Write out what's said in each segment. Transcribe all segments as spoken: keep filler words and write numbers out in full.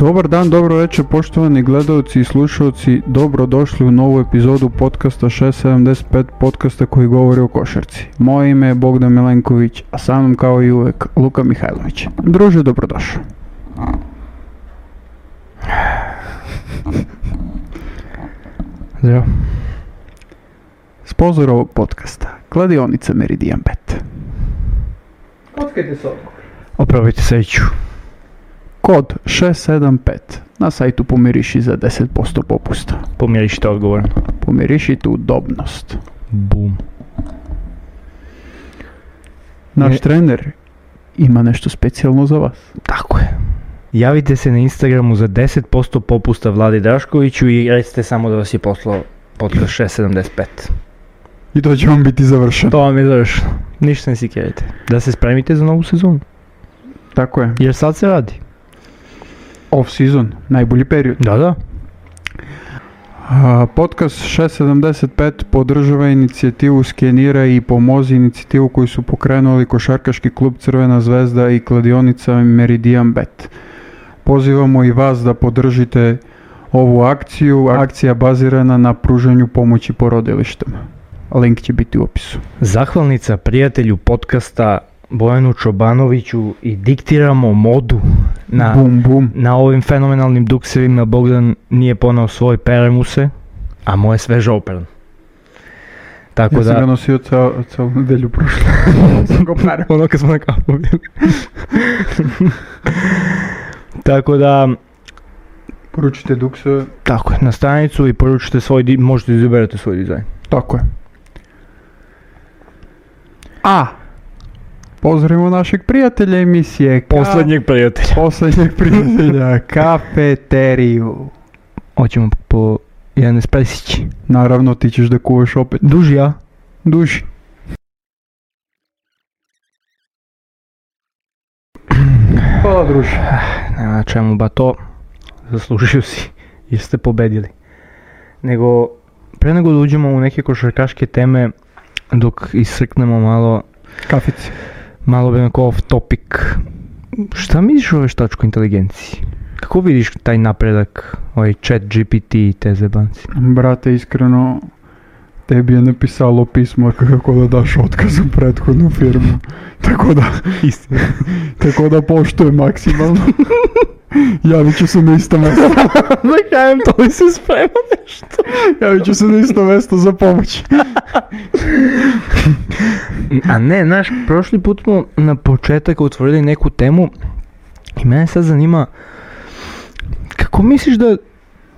Dobar dan, dobro večer poštovani gledalci i slušalci, dobrodošli u novu epizodu podcasta šest sedamdeset pet, podcasta koji govori o košarci. Moje ime je Bogdan Milenković, a sa mnom kao i uvek Luka Mihajlović. Druže, dobrodošao. Zdravo. Sponzor ovog podcasta, kladionica Meridian Bet. Kockajte se odgovor. Opravite sreću. Kod šest sedam pet na sajtu pomiriši za deset posto popusta. Pomirišite odgovorno. Pomirišite udobnost. Bum. Naš Ne- trener ima nešto specijalno za vas. Tako je. Javite se na Instagramu za deset posto popusta Vladi Draškoviću i recite samo da vas je poslao podcast šest sedamdeset pet. I to će vam biti završeno. To vam je završeno. Ništa ne sikirajte. Da se spremite za novu sezonu. Tako je. Jer sad se radi. Off season, najbolji period. Da, da. A, Podcast šest sedamdeset pet podržava inicijativu Skenira i Pomozi, inicijativu koju su pokrenuli košarkaški klub Crvena zvezda i kladionica Meridian Bet. Pozivamo i vas da podržite ovu akciju. Akcija bazirana na pružanju pomoći porodilištima. Link će biti u opisu. Zahvalnica prijatelju podcasta Bojanu Čobanoviću i diktiramo modu na, Bum bum. na ovim fenomenalnim duksevima. Bogdan nije ponao svoj, peremu se, a moje sveže opran. Tako Ja sam ga da, nosio ceo, celu nedelju prošle. Sam ga parao. ono kad smo na kapu bili. Tako da, Poručite duksove. tako je, na stranicu i poručite svoj, di- možete izaberete svoj dizajn. Tako je. A, pozdravimo našeg prijatelja emisije. Ka- Poslednjeg prijatelja. Poslednjeg prijatelja. Kafeteriju. Hoćemo po jedan espresić. Naravno, ti ćeš da kuvaš opet. Duži ja. Duši. Hvala, druže. Nema čemu ba to, zaslužio si jer ste pobedili. Nego, pre nego da uđemo u neke košarkaške teme, dok isrknemo malo, Kafici. malo bi onako off topic. Šta misliš o veštačkoj inteligenciji? Kako vidiš taj napredak, ovaj chat G P T i te zebanci? Brate, iskreno, tebi je napisalo pismo kako da daš otkaz u prethodnu firmu. Tako da, Istina. tako da poštujem maksimalno. Javit ću se na isto mesto. Da kajem, to li se sprema nešto? Javit ću se na isto mesto za pomoć. A ne, znaš, prošli put smo na početak otvorili neku temu i mene sad zanima, kako misliš da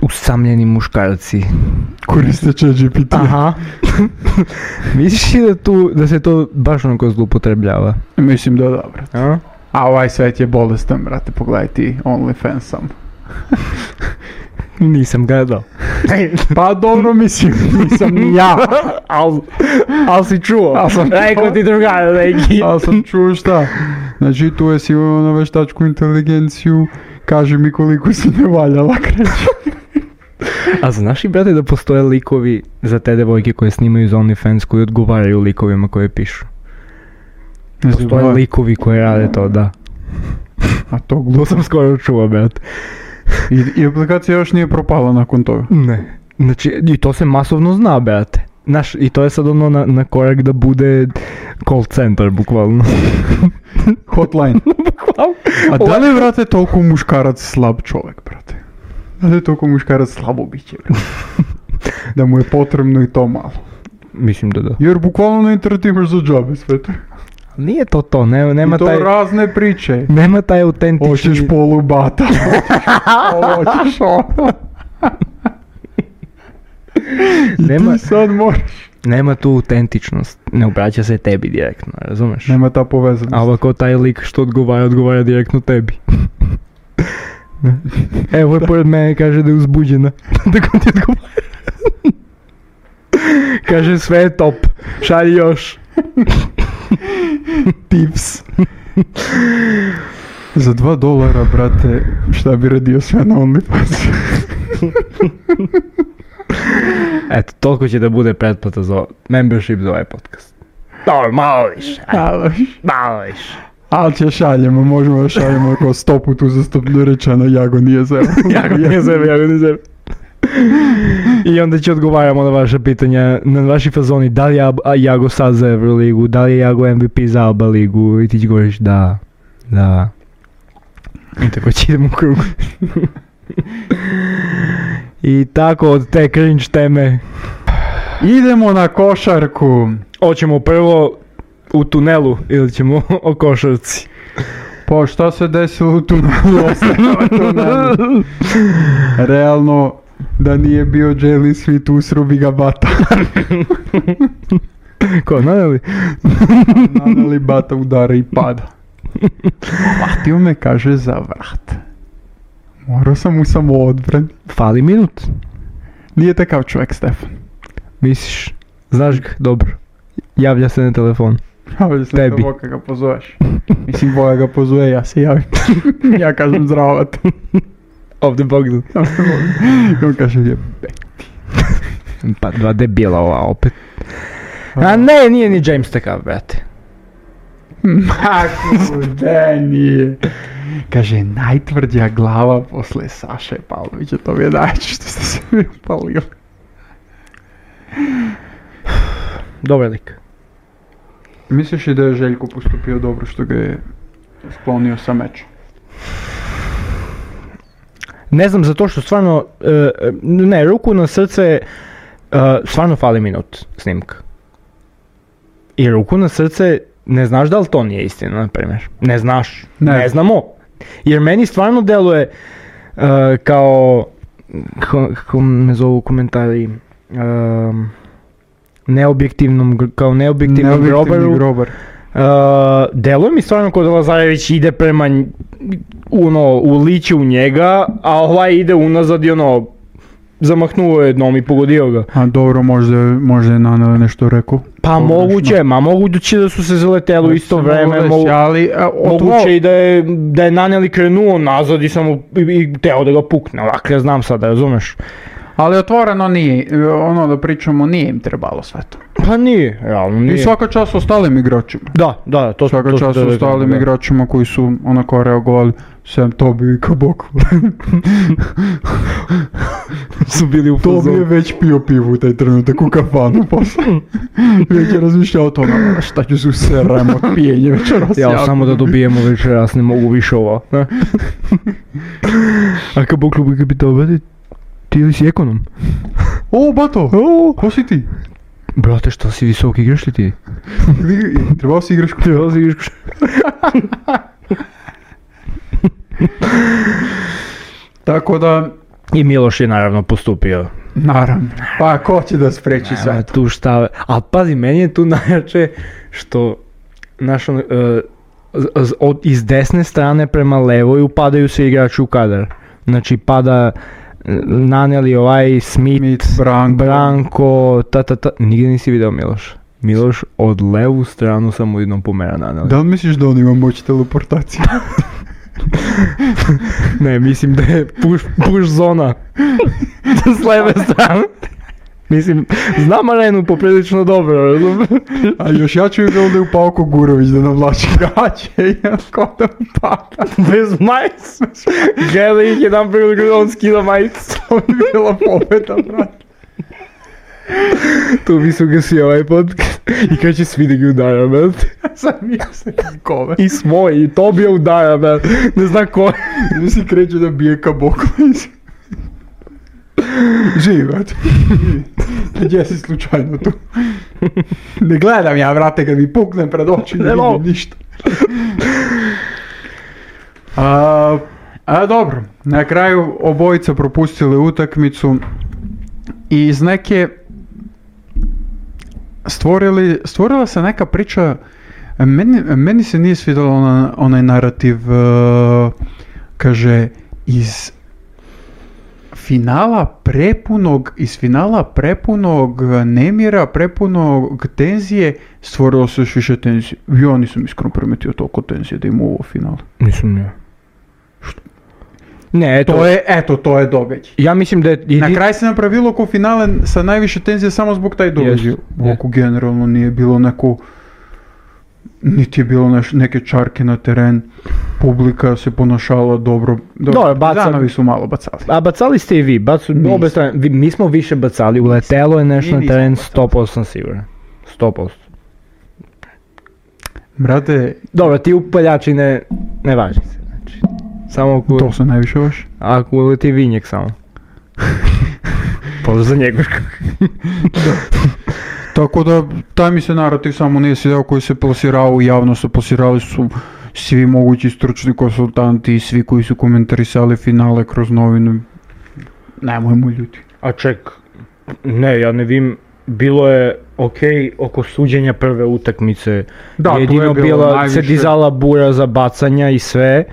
usamljeni muškarci, Koriste chat G P T. aha, misliš li da, tu, da se to baš onako zloupotrebljava? Mislim da da, brate. A? A ovaj svet je bolestan, brate, pogledaj ti OnlyFans sam. Nisam gledao. Pa dobro, mislim, nisam ni ja. Al, al si čuo, Al sam čuo. rekao ti drugar neki. Ali sam čuo šta. Znači, tu je sigurno na veštačku inteligenciju. Kaži mi koliko si ne valjala, kreće. A znaš i, brate, da postoje likovi za te devojke koje snimaju za OnlyFans koji odgovaraju likovima koje pišu? Ne Postoje znam, likovi koji rade to, da. a to To glupo. sam skoro čuo, brate. I, I aplikacija još nije propala nakon toga. Ne. Znači, i to se masovno zna, brate. Znaš, i to je sad ono na, na korak da bude call center, bukvalno. Hotline. Bukvalno. A da li je, brate, toliko muškarac slab čovjek, brate? Da li je toliko muškarac slabo biće, brate? Da mu je potrebno i to malo. Mislim da da. Jer bukvalno na internetu imaš za džabe sve to. Nije to to, nema, nema I to taj... razne priče. Nema taj autentični... Hoćeš polubata. Hoćeš ovo. I Nema- ti sad moraš. Nema tu autentičnost. Ne obraća se tebi direktno, razumeš? Nema ta povezanost. A ovako taj lik što odgovara, odgovara direktno tebi. Evo je pored mene, kaže da je uzbuđena. Tako ti odgovara. Kaže sve je top, šalji još. Tips. Za dva dolara, brate, šta bi radio sve na OnlyFans? Eto, toliko će da bude pretplata za membership za ovaj podcast. Dobro, malo više. ajde, Malo više. Malo više. Ali će šaljemo, možemo da šaljemo ako sto put uzastopno rečeno Jago nije zero. Jago nije zero, Jago nije zero. I onda će odgovaramo na vaše pitanja, na vaši fazoni, da li je Jago sad za Euroligu, da li je Jago M V P za Alba ligu i ti će govoriš da, da. I tako će idemo u krug. I tako od te cringe teme idemo na košarku. Hoćemo prvo u tunelu ili ćemo o košarci? Pa šta se desilo u tunelu? Ostavimo tunelu. Realno, da nije bio Jalen Smith usrubi ga Bata. Ko, naneli? Naneli Bata udara i pada. Hvatio me, kaže, za vrat. Morao sam mu samo odbran. Fali minut. Nije takav čovjek, Stefan. Misliš? Znaš ga? Dobro. Javlja se na telefon. Javlja se na telefon kad ga pozoveš. Mislim, Boja ga pozove, ja se javim. Ja kažem zdravat. Ovdje Bogdan. I on kaže je pa dva debila ova opet. A ne, nije ni James takav, brate. Maku, da nije. Kaže, najtvrđa glava posle Saše Pavlovića, to mi je najče što ste se mi upalili. Dobar lik. Misliš i da je Željko postupio dobro što ga je sklonio sa meča? Ne znam, zato što stvarno, uh, ne, ruku na srce, uh, stvarno fali minut snimka. I ruku na srce, ne znaš da li to nije istina, na primjer. Ne znaš, ne, ne znamo. Jer meni stvarno deluje uh, kao, kako me zovu komentari, uh, neobjektivnom, kao neobjektivnom grobaru. grobar. Uh, deluje mi stvarno kao da Lazarević ide prema ono, uliće u njega, a ovaj ide unazad i ono, zamahnuo je jednom i pogodio ga. A dobro, možda, možda je Naneli nešto rekao. Pa pogrešno. Moguće, ma moguće da su se zaleteli u isto vreme, mogu, ali, a, moguće i da je, da je Naneli krenuo nazad i samo i, i teo da ga pukne, ovako ja znam sada, razumeš? Ali otvoreno nije, ono da pričamo, nije im trebalo sve to. Pa nije, realno nije. I svaka čast ostalim igračima. Da, da, to svaka to čast ostalim da. igračima koji su onako reagovali, sem Tobi i Kaboko. Su bili u fazonu. Tobi je već pio pivu u taj trenutak u kafanu posle. Već je razmišljao o tome, šta ću se useram od pijenja večeras. Ja, ja samo da dobijemo večeras, ne mogu više ovo. A Kaboko bi pitao, bati, ti ili si ekonom? O, Bato, o, ko si ti? Brate, što si visok, igraš li ti? Trebao si igraš košarku. Trebao si igraš košarku. Tako da... I Miloš je naravno postupio. Naravno. Pa ko će da spreči sve to? Tu šta... Ali pazi, meni je tu najjače što... Naš, uh, od, iz desne strane prema levoj upadaju se igrači u kadar. Znači pada... Naneli, ovaj, Smith, Smith Branko, Branko, ta ta ta, nigdje nisi video Miloš. Miloš od levu stranu samo jednom pomera Naneli. Da li misliš da on ima moć teleportacije? Ne, mislim da je push, push zona s leve strane. Mislim, znam arenu poprilično dobro, razum? A još ja ću ga ovdje u Pavko Gurović da navlači gaće i ko da pada. Bez majice. Gledaj ih jedan priliku da on skida majicu. To bi bila pobeda, brate. Tu mi su gasi ovaj podcast i kada će svi da ga udara, brate. Sam mi se kome. I svoj, i to bi je udara, brate. Ne znam ko. Mi si kreće da bije Kaboko. Živi, brate. Gdje si slučajno tu? Ne gledam ja, brate, kad mi puknem pred oči, ne vidim ništa. A, a dobro, na kraju obojica propustili utakmicu i iz neke stvorili, stvorila se neka priča, meni, meni se nije svidjelo ona, onaj narativ, uh, kaže, iz finala prepunog, iz finala prepunog nemira, prepunog tenzije, stvorilo se još više tenzije. Ja nisam iskreno primetio toliko tenzije da ima u ovo finalu. Nisam ja. Što? Ne, eto. To je, eto, to je događaj. Ja mislim da je... Idi... Na kraj se napravilo oko finale sa najviše tenzije samo zbog taj događaj. Yes, oko yes. Generalno nije bilo neko... niti je bilo neš, neke čarke na teren, publika se ponašala dobro, Dobro, baca- Partizanovi su malo bacali. A bacali ste i vi, bacu, Nisam. obe strane, vi- mi smo više bacali, uletelo je nešto Mi na nismo teren, bacali. sto posto sam siguran. sto posto. Brate, Dobro, ti upaljači ne, ne važi se, znači. Samo ako, to su najviše vaš. ako uleti vinjek samo. Pozdrav za njega. Tako da, taj mi se narativ samo nije svidjeo koji se plasirao u javnost, plasirali su svi mogući stručni konsultanti i svi koji su komentarisali finale kroz novinu. Nemojmo ljudi. A ček, ne, ja ne vim, bilo je okej oko suđenja prve utakmice. Da, tu je jedino bilo bila najviše- se dizala bura za bacanja i sve.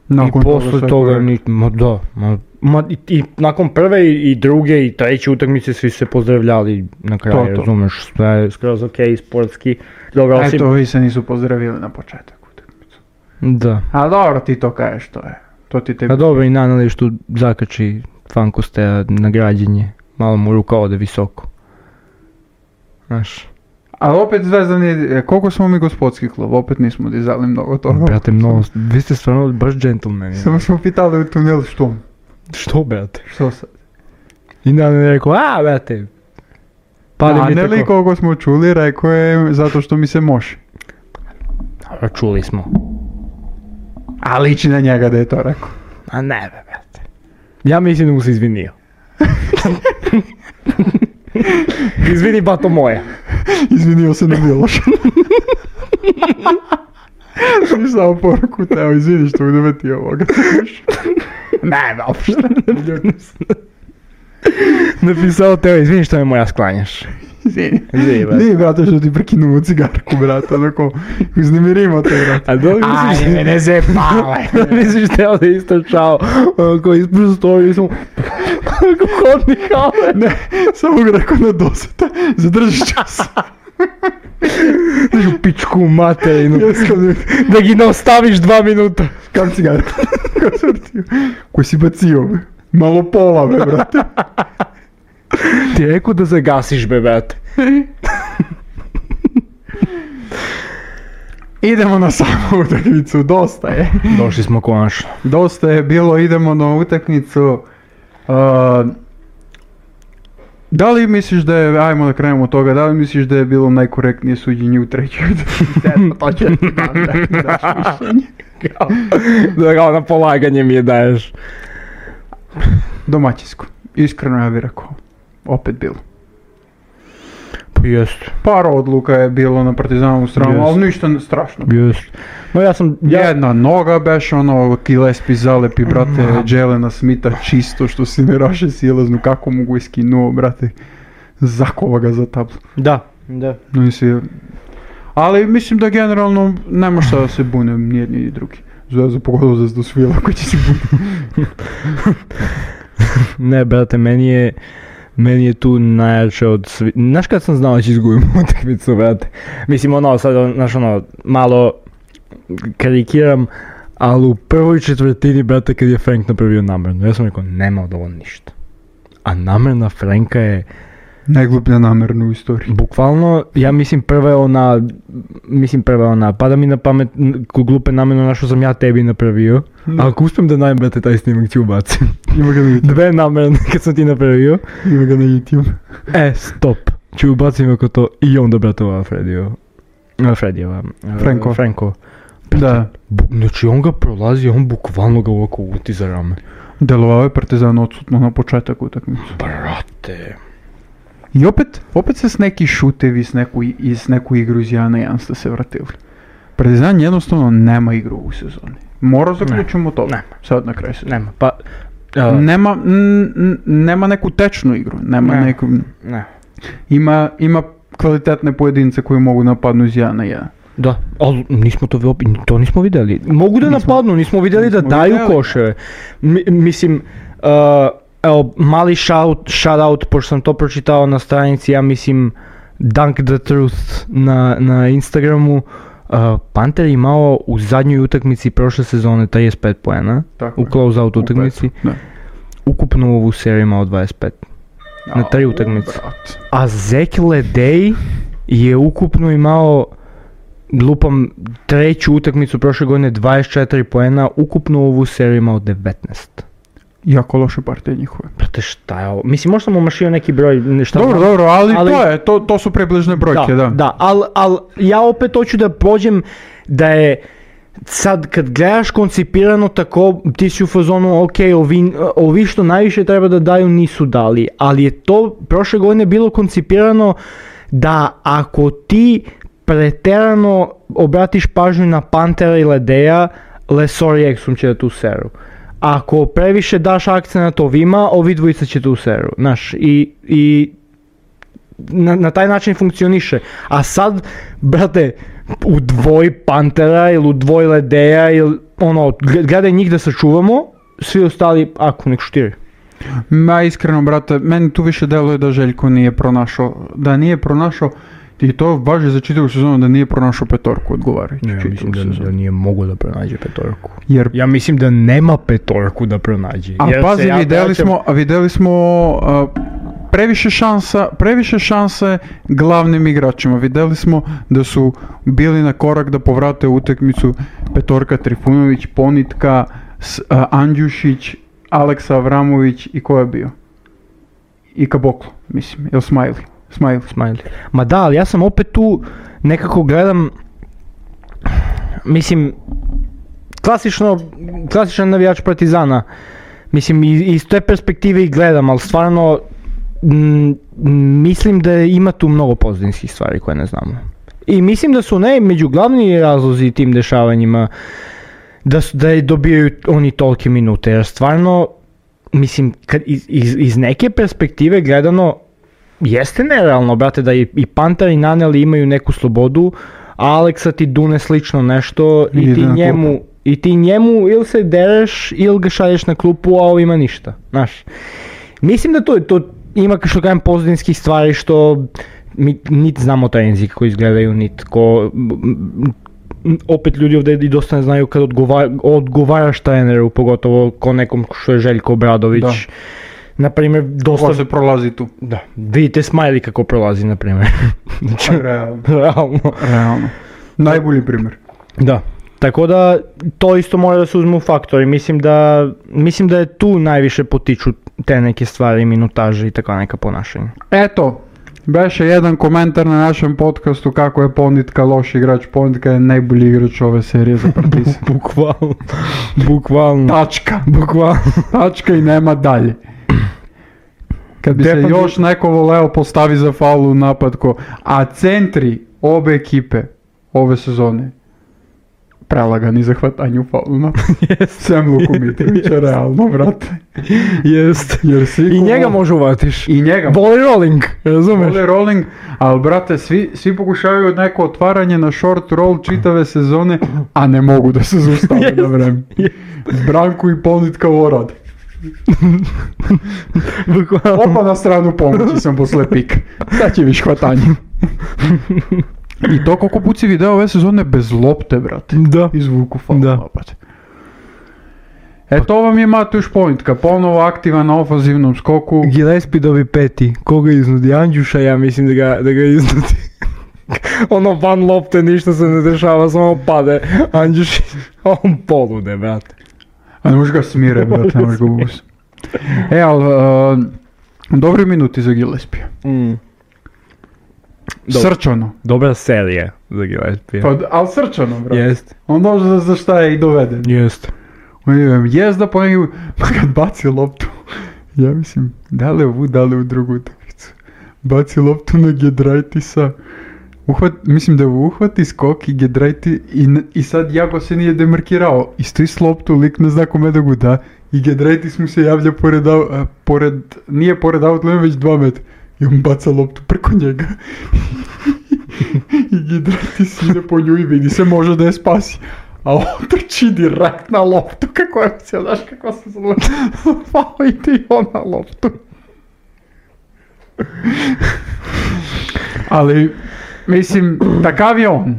Nakon I posle sve toga, koje- ni, ma da, ma, ma i, i nakon prve i, i druge i treće utakmice svi se pozdravljali na kraju, To, to. razumeš, sve je skroz okej, sportski. Dobro, osim, Eto, vi se nisu pozdravili na početak utakmicu. da. A dobro, ti to kažeš, to je. To ti tebi. A dobro, i Nanališ tu zakači Fankosteja na građenje, malo mu ruka ode visoko. Znaš, Ali opet Zvezda nije, koliko smo mi gospodski klub, opet nismo dizali mnogo toga. brate, mnogo, vi ste stvarno baš džentlmeni. Samo smo pitali u tunelu što? Što, brate? Što sad? I Nanali je rekao, a, brate, pali A mi ne li tako. koliko smo čuli, rekao je zato što mi se može. A, čuli smo. A liči na njega da je to rekao. A ne, be, brate. Ja mislim da mu se izvinio. Izvini, bato moja. Izvinio se na Miloša. Svi samo poruku, teo, izvini što budem ti ovoga. Ne, uopšte. Napisao teo, izvini što me moja sklanjaš. Izvini. Izvini, brate. Izvini, brate, što ti prekinuo cigarku, brate, onako, uznemirimo te, brate. A dobro misliš... Ajde, ne zepale. Misliš teo da je istračao, onako ispred stoji, samo... Onako hodni hale. Ne, samo ga rekao na doseta, zadržiš čas. Znaš u pičku materinu. Ja skam, Da gi ne ostaviš dva minuta. kam cigarku? Kao sam vrtio. Koji si bacio, be? Malo pola, be, brate. Ti je rekao da zagasiš, be, brate. Idemo na samu utakmicu, dosta je. Došli smo konačno. Dosta je bilo, idemo na utakmicu. Uh, da li misliš da je, ajmo da krenemo od toga, da li misliš da je bilo najkorektnije suđenje u trećoj utakmici? To će ti dam da mi daš mišljenje. Da kao na polaganje mi je daješ. Domaćinsko. Iskreno ja bih rekao. Opet bilo. Pa jest, Par odluka je bilo na Partizanovu stranu, Jest. ali ništa ne- strašno. jest. No ja sam, ja, Jedna noga beš, ono, Gillespie zalepi, brate, Jelena Smitha čisto što si ne raše silaznu, kako mogu iskinuo, brate, zakova ga za tablu. da, da. No i svi- Ali mislim da generalno nema šta da se bune, ni jedni ni drugi. Zvezda pogodila Zvezdu svila koji će se bune. Ne, brate, meni je, meni je tu najjače od svi... Znaš kad sam znao da će izgubim utakmicu, brate? Mislim, ono, sad, znaš, ono, malo karikiram, ali u prvoj četvrtini, brate, kad je Frank napravio namerno, ja sam rekao, nema od ovo ništa. A namerna Franka je, Najgluplja namerna u istoriji. bukvalno, ja mislim prva je ona, mislim prva je ona, pada mi na pamet n- ko glupe namerno na što sam ja tebi napravio, a ako uspijem da najem, brate, taj snimak ću ubacim. Ima ga na YouTube. Dve namerne kad sam ti napravio. Ima ga na YouTube. E, stop. Ću ubacim ako to i onda, brate, ova Fredijeva. Uh, Fredijeva. Uh, Franko. Franko. Da. Bu- znači on ga prolazi, on bukvalno ga ovako uti za rame. Delovao je Partizan odsutno na početak utakmice. Brate. I opet, opet se s neki šutevi s neku, i s neku igru iz jedan na jedan ste se vratili. Partizan jednostavno nema igru u sezoni. Mora zaključimo to. nema. Sad na kraju sezone. Nema, pa... Uh, Nema, n- n- nema neku tečnu igru, nema Ne. neku, ne. ima, ima kvalitetne pojedince koji mogu napadnu iz jedan na jedan. Da, ali nismo to, vi- to nismo vidjeli. Mogu da Nismo- napadnu, nismo vidjeli da nismo daju vidjeli. koševe. Mi- mislim, uh, evo, mali shout, shout out, pošto sam to pročitao na stranici, ja mislim, Dunk the Truth na, na Instagramu. Uh, Panter je imao u zadnjoj utakmici prošle sezone trideset pet poena, Tako u je. close-out U utakmici. petu, da. Ukupno u ovu seriju imao dvadeset pet. Na tri Au, utakmice. brat. A Zeki Ledej je ukupno imao lupam treću utakmicu prošle godine dvadeset četiri poena, ukupno ovu seriju imao devetnaest. Jako loše partije njihove. Brate, šta je ovo? Mislim, možda sam umašio neki broj. Šta dobro, znam, dobro, ali, ali to je, to, to su približne brojke, da. Da, da, ali al, ja opet hoću da prođem da je sad kad gledaš koncipirano tako, ti si u fazonu, ok, ovi, ovi što najviše treba da daju nisu dali, ali je to prošle godine bilo koncipirano da ako ti preterano obratiš pažnju na Pantera i Ledeja, Lesor i Exum će da tu seru. Ako previše daš akcenat ovima, ovi dvojica će tu seru, znaš, i, i na, na taj način funkcioniše. A sad, brate, u dvoj Pantera ili u dvoj Ledeja ili ono, gledaj njih da sačuvamo, svi ostali, ako nek štiri. Ma iskreno, brate, meni tu više deluje da Željko nije pronašao, da nije pronašao, i to važi za čitavu sezonu, da nije pronašao petorku odgovarajuću. Ja mislim da, da nije mogu da pronađe petorku. Jer, ja mislim da nema petorku da pronađe. A jer pazi, ja videli, vraćam... smo, videli smo uh, previše šansa, previše šanse glavnim igračima. Videli smo da su bili na korak da povrate utakmicu petorka Trifunović, Ponitka, S, uh, Andjušić, Aleksa Avramović i ko je bio? I Kaboklo, mislim, ili Smiley. Smiley. Smiley. Ma da, ali ja sam opet tu nekako gledam, mislim, klasično, klasičan navijač Partizana, mislim, iz, iz te perspektive i gledam, ali stvarno m, mislim da ima tu mnogo pozadinskih stvari koje ne znamo. I mislim da su ne među glavni razlozi tim dešavanjima da, su, da dobijaju oni tolike minute, jer stvarno, mislim, kad iz, iz, iz neke perspektive gledano, jeste nerealno, brate, da i, i Panter i Naneli imaju neku slobodu, a Aleksa ti dune slično nešto i, I ti njemu i ti njemu ili se dereš ili ga šalješ na klupu, a ovima ništa, znaš. Mislim da to, to ima što kažem pozadinskih stvari što mi niti znamo treninzi kako izgledaju, niti ko, opet ljudi ovdje i dosta ne znaju kad odgovar, odgovaraš treneru, pogotovo ko nekom što je Željko Obradović. Da. Naprimjer, dosta... Ko se prolazi tu. Da, vidite Smiley kako prolazi, naprimjer. Realno. Realno. Realno. Najbolji primjer. Da, tako da to isto mora da se uzme u faktor i mislim da, mislim da je tu najviše potiču te neke stvari, minutaže i tako neka ponašanja. Eto, beše jedan komentar na našem podcastu kako je Ponitka loš igrač. Ponitka je najbolji igrač ove serije za Partizan. Bukvalno. Bukvalno. Tačka. Bukvalno. Tačka i nema dalje. Kad bi Depan se još bi... neko voleo postavi za faul u napad ko... A centri obe ekipe ove sezone prelagani za hvatanje u faulu u napad. Yes. Sem Luku Mitrovića, yes. Realno, brate. Jest. Jer svi I njega može uvatiš. I njega. Volley rolling, razumeš? Volley rolling, ali brate, svi, svi pokušavaju neko otvaranje na short roll čitave sezone, a ne mogu da se zaustave yes. na vreme. Yes. Branku i Ponitka ovo rade. Opa na stranu pomoći sam posle pika. Sad će viš hvatanje. I to koliko put si video ove sezone bez lopte, brate. Da. Izvuku faul napad. E to vam je Matuš Ponitka, ponovo aktivan na ofenzivnom skoku. Gillespie dobi peti. Koga iznudi? Andjuša, ja mislim da ga, da ga iznudi. Ono van lopte, ništa se ne dešava, samo pade. Andjuš, on polude, brate. A ne možeš ga smire, brate, ne možeš ga ubus. E, ali, uh, dobri minuti za Gillespie. Mm. Srčano. Dobra serija za Gillespie. Pa, ali srčano, brate. Jest. On dođe za šta je i doveden. Jest. Jezda po njegu, pa kad baci loptu, ja mislim, da li ovu, da li u drugu utakmicu. Baci loptu na Giedraitisa, uhvat, mislim da uhvati skok i Giedraiti i, i sad Jago se nije demarkirao. I stoji s loptu, lik ne zna kome da ga da i Giedraitis mu se javlja pored, a, pored nije pored outlane, već dva metra. I on baca loptu preko njega. I Giedraitis ide po nju i vidi se može da je spasi. A on trči direkt na loptu, kako je se, znaš kako se zove, zvao ide on na loptu. Ali, mislim, takav je on.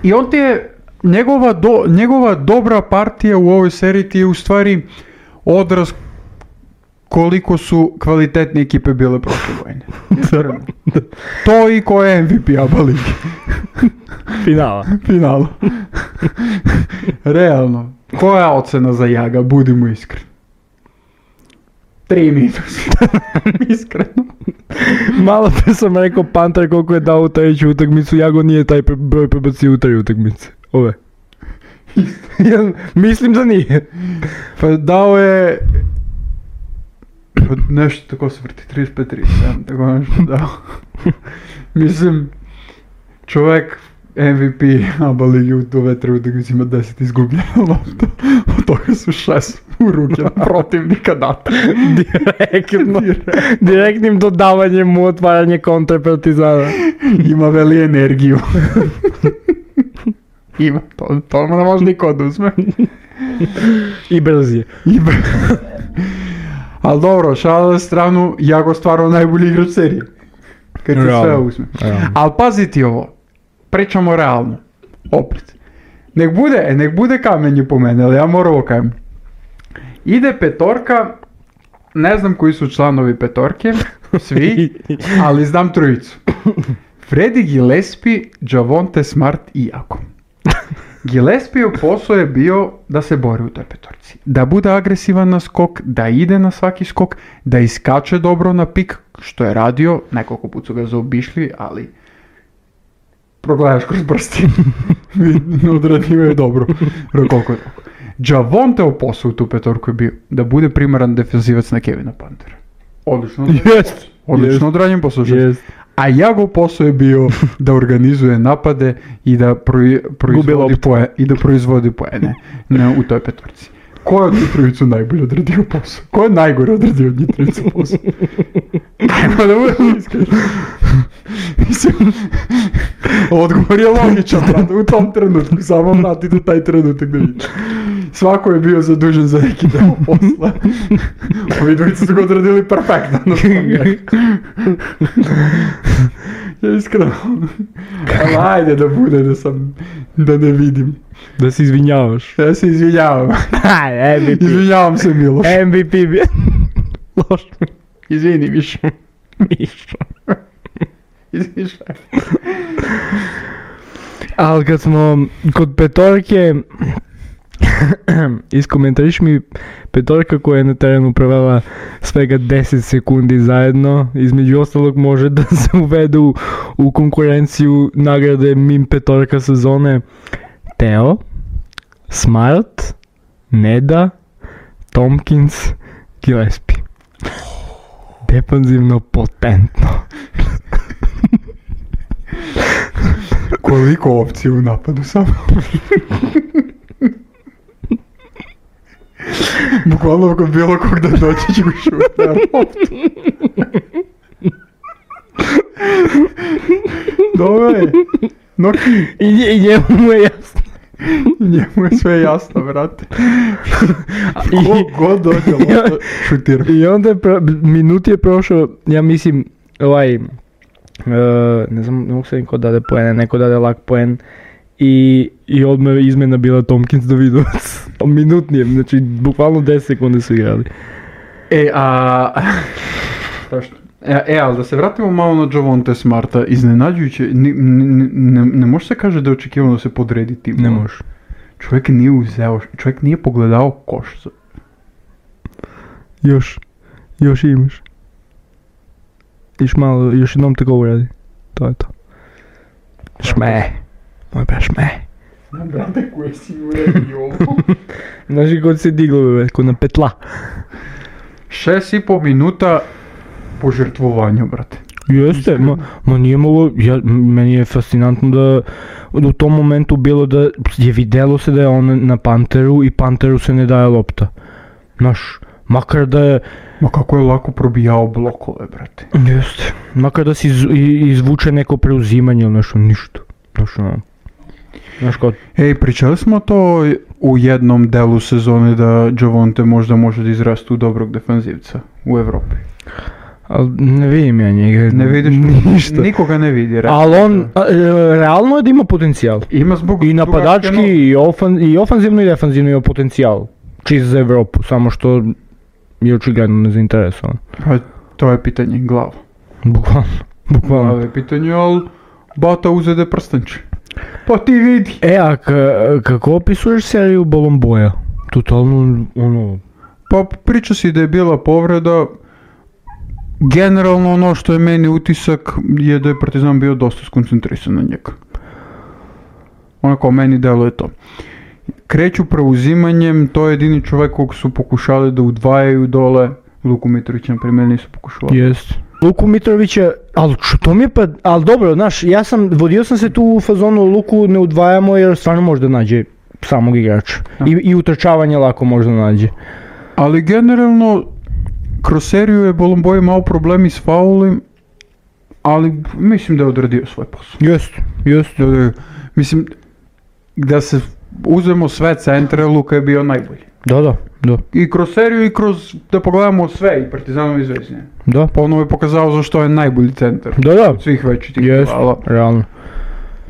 I on ti je, njegova, do, njegova dobra partija u ovoj seriji ti je u stvari odraz koliko su kvalitetne ekipe bile prošle godine. To i ko je M V P A B A ligi. Finala. Finala. Realno. Koja je ocena za Jaga, budimo iskreni? Tri minus. Iskreno. Malo pre sam rekao Panter koliko je dao u treću utakmicu, Jago nije taj pre- broj prebacio u tri utakmice. Ove. Ja mislim da nije. Pa dao je... Nešto tako se vrti, trideset pet trideset sedam, tako nešto dao. Mislim, čovjek M V P ABA ligi u ove tri utakmice ima deset izgubljena lopta. Od toga su šest u ruke protivnika data. Direktno. Direktnim dodavanjem mu otvaranje kontre Partizana. Ima veli energiju. Ima, to, to ne može niko oduzme. I brz je. I br- Ali dobro, šala na stranu, Jago stvarno najbolji igrač serije. Kad ti sve uzme. Ali pazi ti ovo, pričamo realno. Opet. Nek bude, e, nek bude kamenje po mene, ali ja moram ovo kajem. Ide petorka, ne znam koji su članovi petorke, svi, ali znam trojicu. Freddy Gillespie, Javonte Smart i Jago. Gillespieov posao je bio da se bori u toj petorci. Da bude agresivan na skok, da ide na svaki skok, da iskače dobro na pik, što je radio, nekoliko put su ga zaobišli, ali progledaš kroz prsti. Odradio je dobro. Koliko je dobro. Javonteov posao u tu petorku je bio da bude primaran defenzivac na Kevina Pantera. Odlično. Jest. Odlično odrađen posao. Jest. A Jagov posao je bio da organizuje napade i da proi, proizvodi poene, i da proizvodi poene na, u toj petorci. Ko je od njih trojicu najbolje odradio posao? Ko je najgore odradio od njih trojicu posao? Ajmo da budemo iskreni. Mislim, odgovor je logičan, brate, u tom trenutku, samo vratite taj trenutak da vidite. Svako je bio zadužen za neki deo posla. Ovi dvojice su ga odradili perfektno. No, ja iskreno. Ali ajde da bude da sam, da ne vidim. Da se izvinjavaš. Ja se izvinjavam. M V P. Izvinjavam se, Miloš. M V P bi... Loš. Izvini, Mišo. Mišo. Izvini, šta je. Ali kad smo kod petorke... Iskomentariš mi petorka koja je na terenu provela svega deset sekundi zajedno, između ostalog može da se uvede u, u konkurenciju nagrade Mim petorka sezone. Teo, Smart, Neda, Tompkins, Gillespie. Defanzivno potentno. Koliko opcija u napadu samo? Bukvalno kod bilo kog da doći ću šut na loptu. Dobre, Noki. I, I njemu je jasno. Njemu je sve jasno, brate. Ko god dođe lopta šutira. I onda je pro, minut je prošao, ja mislim, ovaj, uh, ne znam, ne mogu se niko dade poene, neko dade lak poen. I, i odmah izmena bila Tompkins Davidovac. Minut nije, znači bukvalno deset sekunde su igrali. E, a... E, e, ali da se vratimo malo na Javonte Smarta, iznenađujuće, ne, ne, ne, ne može se kaže da je očekivano da se podredi tim. Ne može. Čovjek nije uzeo, čovjek nije pogledao koš. Još, još imaš. Još malo, još jednom tako uradi. To je to. Šme. Moj bra šme. Znam, brate, koje si uredi ovo. Znaš i kod se diglo, bebe, kod na petla. Šest i pol minuta požrtvovanja, brate. Jeste, ma, ma nije mogo, ja, meni je fascinantno da u tom momentu bilo da je videlo se da je on na Panteru i Panteru se ne daje lopta. Znaš, makar da je... Ma kako je lako probijao blokove, brate. Jeste, makar da si iz, izvuče neko preuzimanje ili nešto, ništa. Znaš, ono, znaš kod... Ej, pričali smo to u jednom delu sezone da Javonte možda može da izraste u dobrog defanzivca u Evropi. Ali ne vidim ja njega. Ne vidiš ništa. Nikoga ne vidi. Ali on, a, realno je da ima potencijal. Ima zbog... I napadački, i, ofan, i ofanzivno i defanzivno ima potencijal. Čist za Evropu, samo što je očigledno nezainteresovan. Pa to je pitanje glava. Bukvalno, bukvalno. Glava je pitanje, ali Bata uzede prstenče. Pa ti vidi. E, a ka- kako opisuješ seriju Bolomboja? Totalno, ono... Pa priča si da je bila povreda. Generalno ono što je meni utisak je da je Partizan bio dosta skoncentrisan na njega. Onako meni deluje to. Kreću preuzimanjem, to je jedini čovjek kog su pokušali da udvajaju dole. Luku Mitrovića na primjer nisu pokušali. Jest. Luku Mitrovića, ali to mi je pa, ali dobro, znaš, ja sam, vodio sam se tu u fazonu Luku ne udvajamo jer stvarno možda nađe samog igrača. I, i utrčavanje lako možda nađe. Ali generalno, kroz seriju je Bolomboj imao problemi s faulim, ali mislim da je odradio svoj posao. Jest, jest. Mislim, da se uzmemo sve centre, Luka je bio najbolji. Da, da, da. I kroz seriju i kroz, da pogledamo sve, i Partizanom i Zvezdine. Da. Ponovo je pokazao zašto je najbolji centar. Da, da. Od svih većih jest, rivala. realno.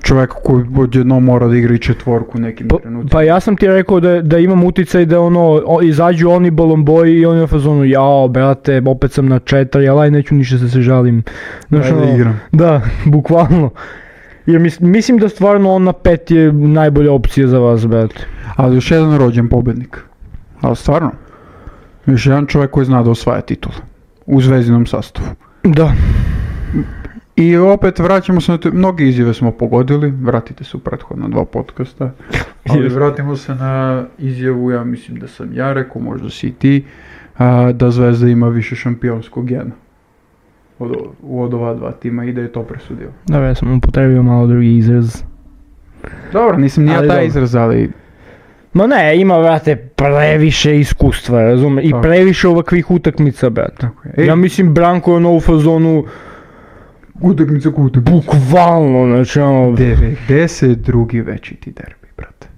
Čovjek koji odjednom mora da igra i četvorku nekim Pa, trenutima. pa ja sam ti rekao da, da imam uticaj da ono, o, izađu oni Bolomboji i oni u fazonu, jao, brate, opet sam na četiri, ali aj neću ništa da se žalim. Znaš, Daj da ono, igram. Da, bukvalno. Jer mis, mislim da stvarno on na pet je najbolja opcija za vas, brate. Ali još jedan rođen pobednik. Ali stvarno. Još jedan čovjek koji zna da osvaja titul. U Zvezdinom sastavu. Da. I opet vraćamo se na te, mnogi izjave smo pogodili, vratite se u prethodna dva podcasta, ali vratimo se na izjavu, ja mislim da sam ja rekao, možda si i ti, a, da Zvezda ima više šampionskog gena od, od ova dva tima i da je to presudio. Dobro, ja sam upotrebio malo drugi izraz. Dobro, nisam ni ja Ali taj dobro. izraz, ali... Ma ne, ima, brate, previše iskustva, razume, i Tako. previše ovakvih utakmica, brate. Tako je. Ej. Ja mislim, Branko je ono u fazonu, Utakmica ko utakmica. bukvalno, znači ono... devedeset drugi većiti derbi, brate.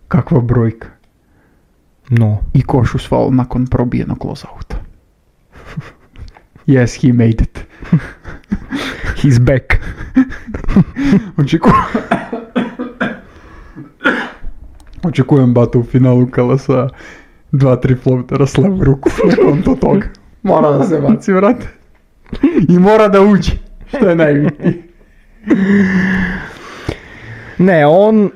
Kakva brojka. No. I koš uz faul nakon probijenog lozauta. Yes, he made it. He's back. Očekujem... Očekujem Bata u finalu kala sa dva tri floatera s levu ruku. On to toga. Mora da se baci, brate. I mora da uđe. Što je najbitnije. Ne, on,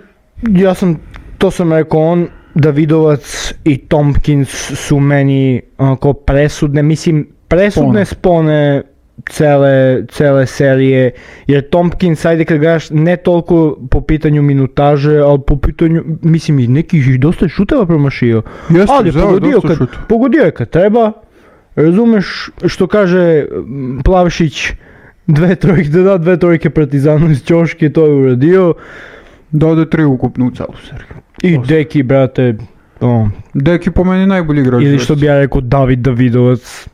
ja sam, to sam rekao, on, Davidovac i Tompkins su meni onako presudne, mislim, presudne spone cele, cele serije, jer Tompkins, ajde kad gledaš, ne toliko po pitanju minutaže, ali po pitanju, mislim, i nekih i dosta šuteva promašio. Jeste, Ali je zelo, pogodio, dosta kad, šuta. pogodio je kad treba, razumeš što kaže m, Plavšić, dve trojke, da da dve trojke Partizanu iz ćoške, to je uradio. Da ode tri ukupno u celu seriju. I Dosta. Deki, brate, o, Deki po meni najbolji igrač. ili što bi ja rekao David Davidovac,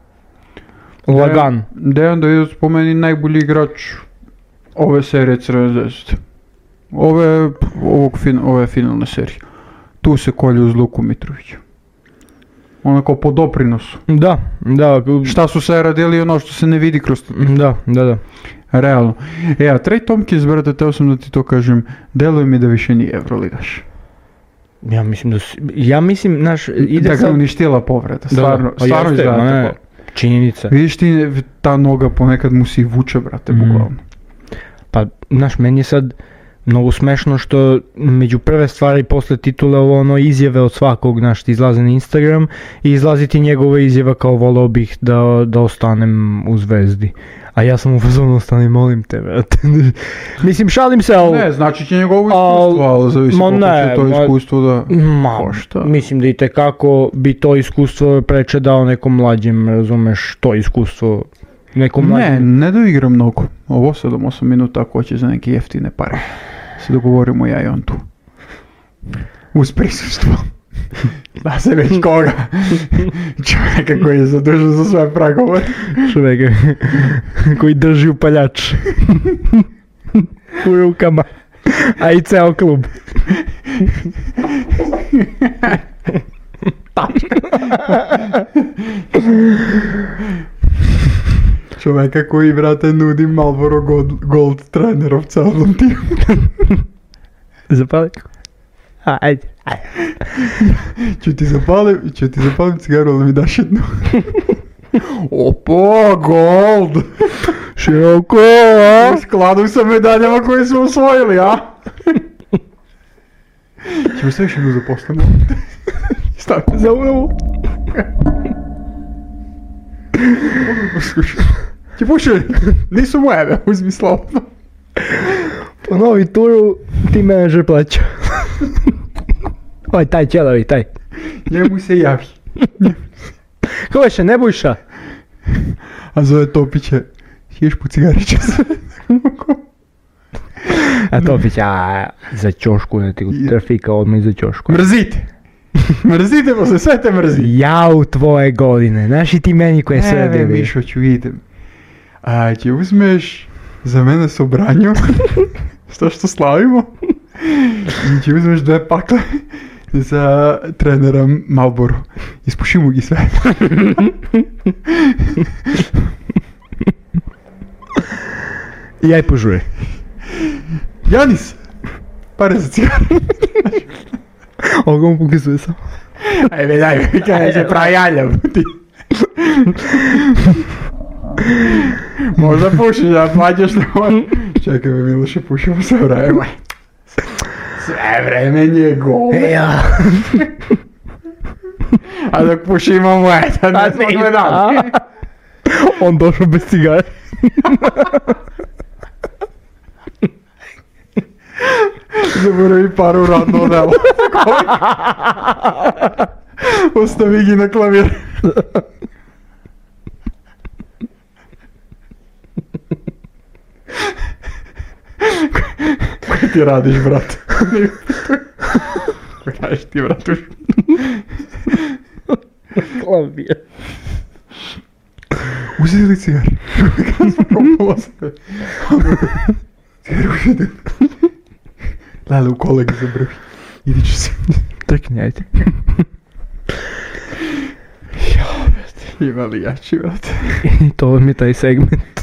lagan. Dejan Davidovac po meni najbolji igrač ove serije Crvene zvezde. Ove, ovog fin, ove finalne serije. Tu se kolje uz Luku Mitrovića. Onako po doprinosu. Da, da, Šta su se radili ono što se ne vidi kroz... da, da, da. Realno. E, a Trey Tompkins, brate, teo sam da ti to kažem, deluje mi da više nije Euroligaš. Ja mislim da su, ja mislim, znaš, ide Da ga sad... uništila povreda, Da, stvarno, da, pa stvarno jeste, izgleda ma ne, tako. činjenica. Vidiš ti, ta noga ponekad mu se i vuče, brate, Mm. bukvalno. Pa, znaš, meni je sad mnogo smešno što među prve stvari posle titula ovo ono izjave od svakog, znaš, ti izlaze na Instagram i izlazi ti njegova izjava kao volao bih da, da ostanem u Zvezdi. A ja sam u fazonu ostani, molim te, brate. Mislim, šalim se, ali... Ne, znači će njegovo Al- iskustvo, ali zavisi ma koliko ne, će to ma- iskustvo da... Ma, košta. mislim da i tekako bi to iskustvo preče dao nekom mlađem, razumeš, to iskustvo nekom Ne, mlađem. ne da igra mnogo. Ovo sedam osam minuta ako hoće za neke jeftine pare. Se dogovorimo ja i on tu. Uz prisustvo. Da se već koga. Čovjeka koji je zadužen za sve pregovore. Čovjeka koji drži upaljač u rukama, a i ceo klub. Čovjeka koji, brate, nudi Marlboro Gold, Gold trenerov celom timu. Zapali? A, ajde, ajde. Ću ti zapalim, ću ti zapalim cigaru, ali mi daš jednu. Opa, Gold! Široko, U skladu sa medaljama koje smo osvojili, a? Ćemo sve još jednu zaposlenu. Stavite za unovu. Mogu poslušati. Ti pušaj, nisu moje, uzmi slobodno. Ponovi turu, ti menadžer plaća. Oj, taj ćelavi, taj. Njemu se javi. Ko veše, Nebojša? A zove Topiće, ješ po cigariće sve. A Topić, a za ćošku, ne ti trafika odmah za ćošku. Mrzite. Mrzite posle, sve te mrzi. Jau tvoje godine, znaš i ti meni koje sve bili. Ne, Mišo, ću idem. A će uzmeš za mene sobranju, što što slavimo, i će uzmeš dve pakle za trenera Malboru. Ispušimo gi sve. I aj požuje. Janis, pare za cigaru. Ovo mu pokazuje sam. Ajme, daj, kaj se pravi jaljav. Možda pušiš, da plaćaš na ovo. Čekaj me, Miloše, pušimo sve vreme. Sve vreme njegovo. Ja. A dok pušimo moje, tad ne smo gledali. On došao bez cigare. Zaboravi paru radno delo. Ostavi gi na klavir. Kaj ti radiš, brat? Kaj kažeš ti, bratuš? Klavir. Uzeti li cigar? Kada smo probalo se? Cigar uzeti. Lele, u kolegi zabrvi. Idi ću se. Trkni, ajde. Jao, brate. Ima li jači, brate? I to mi je taj segment.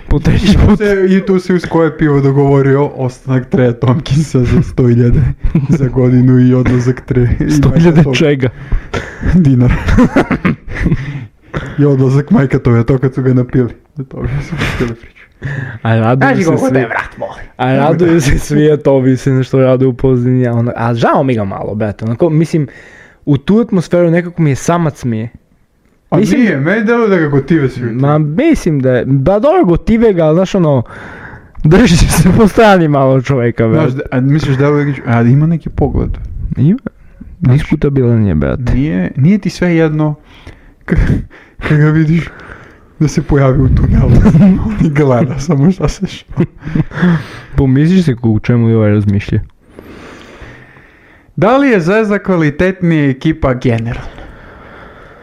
Po treći put. I tu si uz koje pivo dogovorio ostanak Treja Tomkinsa za sto hiljada za godinu i odlazak Tre. sto hiljada čega? Dinara. I odlazak majka toga, to kad su ga napili. Da toga su pustili priču. A raduju se svi. Te, brat, moli. A raduju se svi, a to bi se nešto rade u Pozdini. A, ono, a žao mi ga malo, brate. Onako, mislim, u tu atmosferu nekako mi je samac mi je. A mislim, nije, meni deluje da ga gotive svi. Ma mislim da je, ba dobro gotive ga, ali znaš ono, drži se po strani malo čoveka, brate. Znaš, a misliš deluje, a ima neki pogled? Ima, diskutabilan je, brate. Nije, nije ti sve jedno, kad ga vidiš da se pojavi u tunelu, on i gleda samo šta se što. Pomisliš se u čemu li ovaj razmišlja? Da li je Zvezda kvalitetnija ekipa generalno?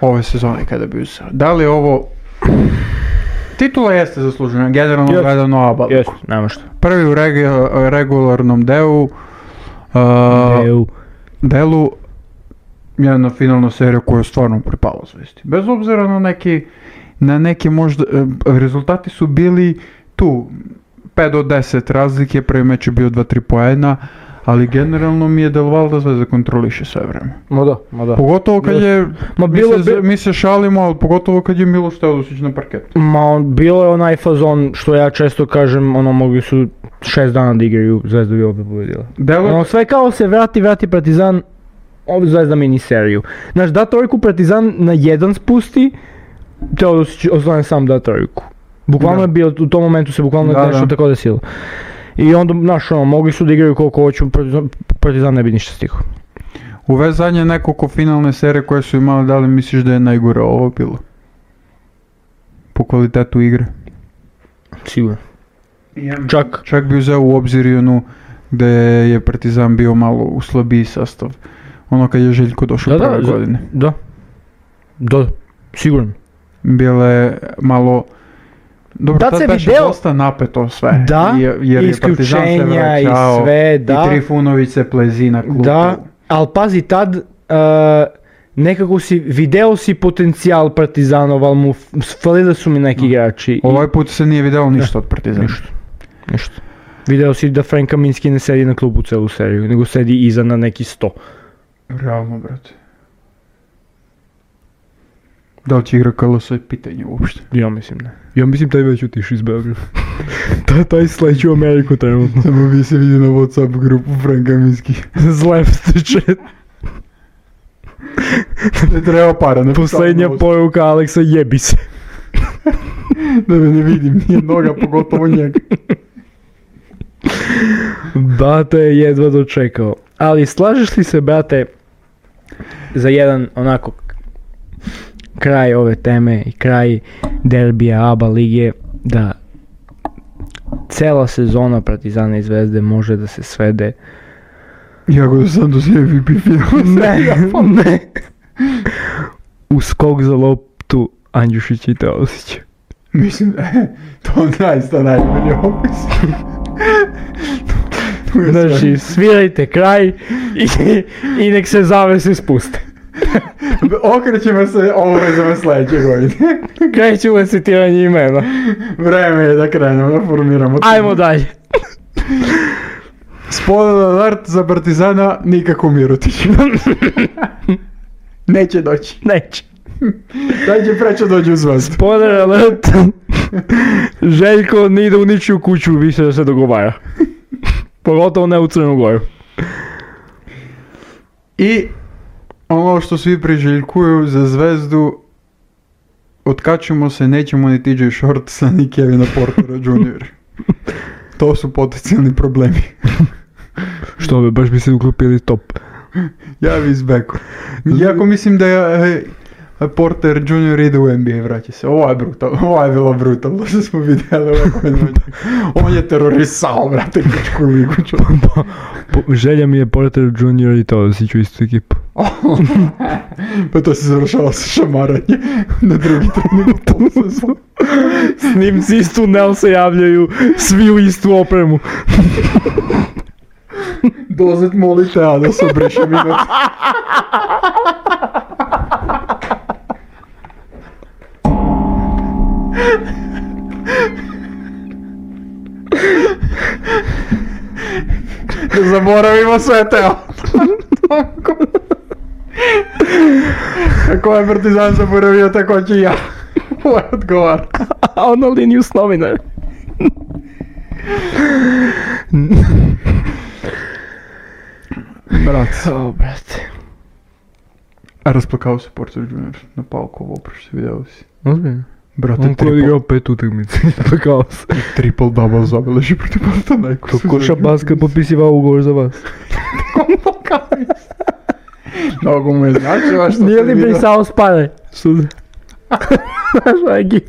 Ove sezone kada bi uzeo. Da li je ovo... Titula jeste zaslužena, generalno yes. gledano oba. Jeste, nema što. Prvi u regu- regularnom delu. Uh, Deu. Delu. Jedna finalna serija koja je stvarno pripala Zvezdi. Bez obzira na neki, na neki možda... Uh, rezultati su bili tu. pet do deset razlike, prvi meč je bio dva tri poena. Ali generalno mi je delovalo da Zvezda kontroliše sve vreme. Ma da, ma da. Pogotovo kad je, ma bilo, mi, se, mi se šalimo, ali pogotovo kad je Miloš Teodosić na parketu. Ma on, bilo je onaj fazon što ja često kažem, ono mogli su šest dana da igraju, Zvezda bi opet pobedila. Delo... Ono sve kao se vrati, vrati Partizan, ovdje Zvezda miniseriju. Znaš, da trojku Partizan na jedan spusti, Teodosić ostane sam da trojku. Bukvalno je bio, u tom momentu se bukvalno da, nešto da. tako desilo. I onda, znaš, ono, mogli su da igraju koliko hoću, Partizan, Partizan ne bi ništa stigao. U ove zadnje nekoliko finalne serije koje su imali, da li misliš da je najgore ovo bilo? Po kvalitetu igre? Sigurno. Čak. Čak bi uzeo u obzir i onu gde je Partizan bio malo u slabiji sastav. Ono kad je Željko došao da, prve da, godine. Da, da, sigurno. Bile malo... Dobro, da tad se beše video... dosta napeto sve, da, jer, jer je Partizan se vraćao, i sve, da. I Trifunović se plezi na klupu. Da, ali pazi, tad uh, nekako si, video si potencijal Partizanov, ali mu falili su mi neki igrači. Ovaj put se nije video ništa ne, od Partizana. Ništa, ništa. Video si da Frank Kaminski ne sedi na klubu celu seriju, nego sedi iza na neki sto. Realno, brate. Da li će igra K L S je pitanje uopšte? Ja mislim ne. Ja mislim taj već otišao iz Beograda. Taj, taj sledeći u Ameriku trenutno. Samo vi se vidi na WhatsApp grupu Franka Miski. Zlepstiče. Ne treba para. Ne Poslednja poruka Aleksa, jebi se. Da me ne vidim, nije noga, pogotovo njega. Brate, jedva dočekao. Ali slažeš li se, brate, za jedan onako kraj ove teme i kraj derbija A B A lige, da cela sezona Partizana i Zvezde može da se svede Jako da sam do sve M V P finala. ne, ne u skok za loptu Andjušića i Teosića. Mislim, to naista najbolji opis. Znači, svirajte kraj i, i nek se zavese spuste. Okrećemo se obavezama sljedeće godine. Krećemo citiranje imena. Vreme je da krenemo, da formiramo. Ajmo dalje. Spoiler alert za Partizana, nikako Mirotić. Neće doći. Neće. Daj će preće dođe u Zvezdu. Spoiler alert. Željko ne ide u ničiju kuću više da se dogovara. Pogotovo ne u Crnu Goru. I ono što svi priželjkuju za Zvezdu, otkačimo se, nećemo ni T J Shortsa ni Kevina Portera juniora To su potencijalni problemi. Što bi, baš bi se uklopili top. Ja bi izbeku. Iako mislim da je e, Porter junior ide u N B A, vraća se. Ovo je brutalno, ovo je bilo brutalno što smo vidjeli ovako. On je terorisao, brate, grčku ligu. Pa, po, želja mi je Porter junior i Teosić u istu ekipu. Pa to se završava sa šamaranje na drugi trening u polusezu. Snimci iz tunel se javljaju, svi u istu opremu. Dozet molite, a da se obriše minut. Ne zaboravimo sve teo. Ako je Partizan zaboravio, tako će ja. Ovo je odgovor. A on na liniju s novinara. Brat. O, brate. A rasplakao se Porter junior na Paukovo oprošće, vidio si. Ozbiljno? Brate, On koji je igrao pet utakmica, rasplakao se. Triple double zabeleži protiv Panathinaikosa. To ko Šabaska popisivao ugovor za vas. Mnogo mu je značila što Nije se li vidio. brisao spare? Suze. Znaš, ovaj gif.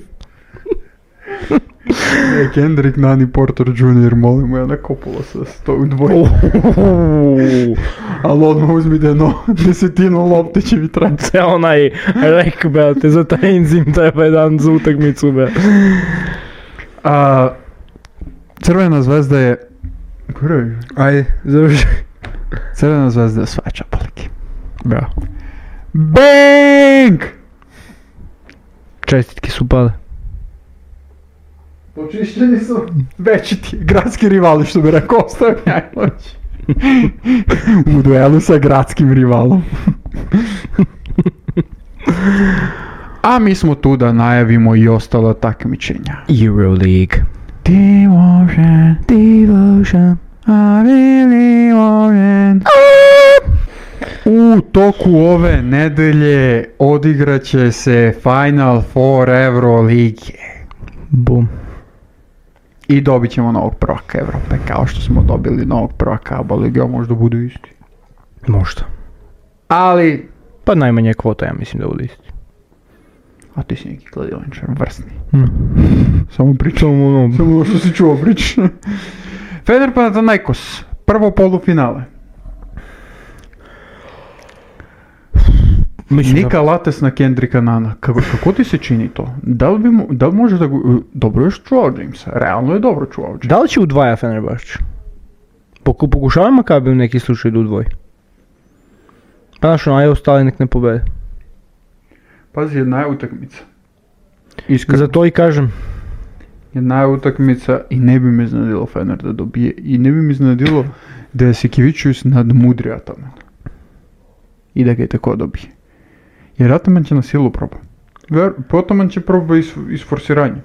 Ne, Kendrick Nani Porter junior molimo ja na kopula sa sto u dvoje. Ali odmah uzmite no, desetinu lopte će mi trebati. Sve onaj rek, brate, za taj enzim treba jedan za utakmicu, brate. A, Crvena zvezda je... Kure? Ajde, završi. Crvena zvezda je svača palike. Bravo. Bang! Čestitke su pale. Počišćeni su veći ti gradski rivali, što bi rekao Ostav Njajlović. U duelu sa gradskim rivalom. A mi smo tu da najavimo i ostala takmičenja. Euroleague. Devotion, Devotion. I really want. U toku ove nedelje odigraće se Final Four Eurolige. Bum. I dobit ćemo novog prvaka Evrope, kao što smo dobili novog prvaka A B A lige, a možda budu isti. Možda. Ali, Pa najmanje kvota, ja mislim da bude isti. a ti si neki kladioničar, vrsni. Mm. Samo pričam ono, samo ono što si čuo priča. Fener Panathinaikos, prvo polufinale. Mislim Nika Lates na Kendricka Nana. Kako, kako ti se čini to? Da li, bi mo, da li može da go... Dobro je čuvao Jamesa. Realno je dobro čuvao Jamesa. Da li će udvaja Fenerbahče? Poku, pokušava Makabi u neki slučaj da udvoji. Pa znaš, onaj ostali nek ne pobede. Pazi, jedna je utakmica. Iskreno. Zato i kažem. Jedna je utakmica i ne bi me iznenadilo Fener da dobije. I ne bi me iznenadilo da je Sikivičius nadmudrio Ataman. I da ga je tako dobije. Jer Ataman će na silu proba. Ataman će proba is, isforsiranje.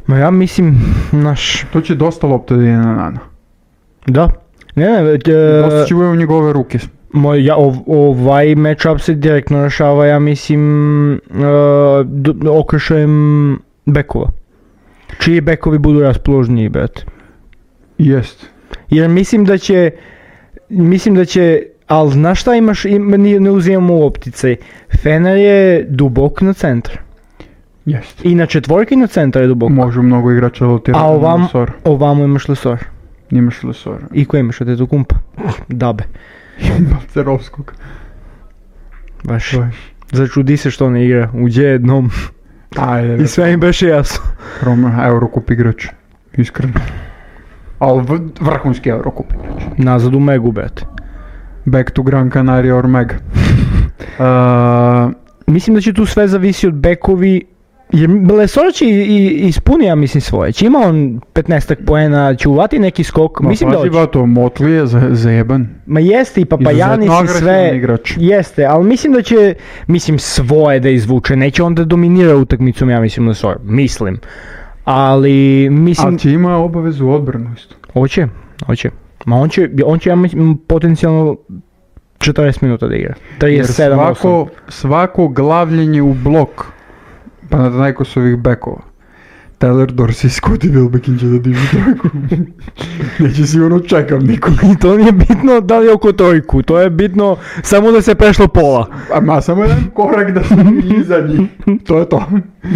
Ma ja mislim, naš... To će dosta lopte da ide na Nana. Da. Ne, ne, e, Dosta će u njegove ruke. moj, ja, ov, ovaj matchup se direktno rešava, ja mislim, e, d- okršajem bekova. Čiji bekovi budu raspoložniji, brate. Jest. Jer mislim da će, mislim da će, ali znaš šta imaš, im, ne, ne uzimamo u opticaj. Fener je dubok na centar. Jest. I na četvorki na centar je dubok. Može mnogo igrača rotirati A na ovam, Lesor. ovamo imaš Lesor. Imaš Lesor. I ko imaš od eto kumpa? Dabe. Balcerovskog. Baš. Baš. Začudi se što ne igra. Uđe jednom. Ajde. I sve im beše jasno. Roma, Eurocup igrač. Iskreno. Ali v- vrhunski Eurocup igrač. Nazad u Megu, brate. Back to Gran Canaria or Meg. Uh, Mislim da će tu sve zavisi od bekovi. Jer Lesor će i, i ispuni, ja mislim, svoje. Će ima on petnaestak poena, će uvati neki skok. ma Mislim da pazi, hoće. bato, Motley je za, zajeban. Ma jeste i Papajanis Izuzetno i agresivan sve. igrač. Jeste, ali mislim da će, mislim, svoje da izvuče. Neće onda dominira utakmicom, ja mislim, Lesor. Mislim. Ali, mislim... Ali će ima obavezu odbranu isto. Hoće, hoće. Ma on će, on će ja mislim, potencijalno četrdeset minuta da igra. Jer trideset sedam osam. svako, svako glavljenje u blok, pa na najkosovih bekova. Tyler Dorsey i Scottie Wilbekin će da dižu trojku. Neće sigurno čekam nikog. I to nije bitno da li je oko trojku, to je bitno samo da se prešlo pola. A ma samo jedan korak da smo iza njih. To je to.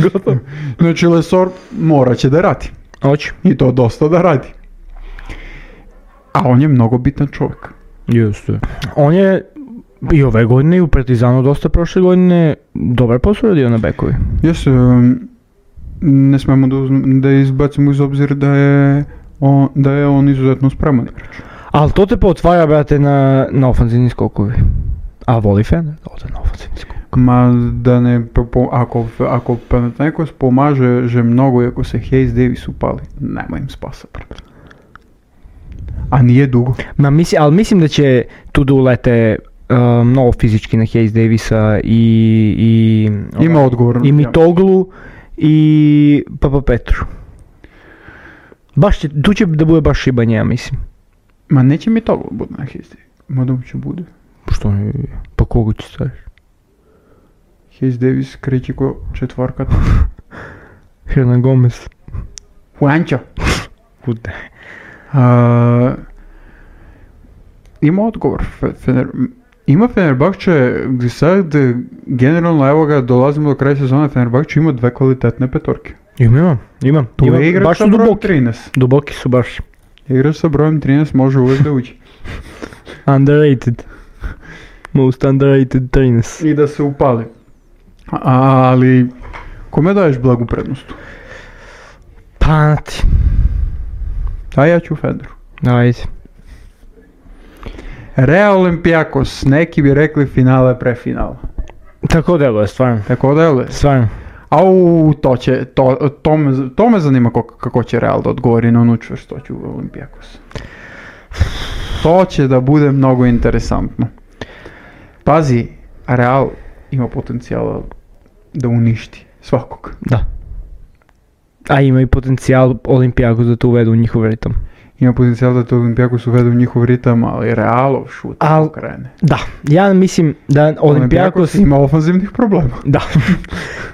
Gotovo. Znači Lesor morat će da radi. Hoće. I to dosta da radi. A on je mnogo bitan čovjek. Jeste. On je i ove godine i u Partizanu dosta prošle godine dobar posao radio na bekovi. Jesu, um, ne smemo da, uzm- da izbacimo iz obzira da je on, da je on izuzetno spreman igrač. Ali to te potvara, brate, na, na ofanzivni skokovi. A voli Fener da ode na ofanzivni skok. Ma da ne, po, po, ako, ako Panathinaikos pomaže že mnogo i ako se Hayes Davis upali, nema im spasa. A nije dugo. Ma misli, ali mislim da će tu da ulete uh, mnogo fizički na Hayes Davisa i, i, Ima odgovor. i Mitoglu i Papa Petru. Baš će, tu će da bude baš šibanje, ja mislim. Ma neće mi to bude na Hayes Davis. Ma će bude. Što ne, pa koga će staviš? Hayes Davis kreće ko četvorka. Hernan Gomez. Juancho. Kude. Uh, ima odgovor. Fe- Fener, ima Fenerbahče, gdje sad e, generalno evo ga dolazimo do kraja sezone, Fenerbahče ima dve kvalitetne petorke. Imam, imam, imam. Tu imam. je igrač Baš sa su brojem duboki. trinaest. Duboki su baš. Igrač sa brojem trinaest može uvijek da uđe. Underrated. Most underrated trinaest. I da se upali. Ali, kome daješ blagu prednost? Pa ti. A ja ću Feneru. Ajde. Real Olympiakos, neki bi rekli finale pre finala. Tako deluje, stvarno. Tako da je. Stvarno. Au, to će, to, to, me, to me zanima kako, kako će Real da odgovori na onu čvrstoću Olympiakos. To će da bude mnogo interesantno. Pazi, Real ima potencijala da uništi svakog. Da. A ima i potencijal Olimpijakos da to uvedu u njihov ritam. Ima potencijal da to Olympiakos uvede u njihov ritam, ali Realov šut Al- krene. Da, ja mislim da Olimpijakos... ima ofanzivnih problema. Da.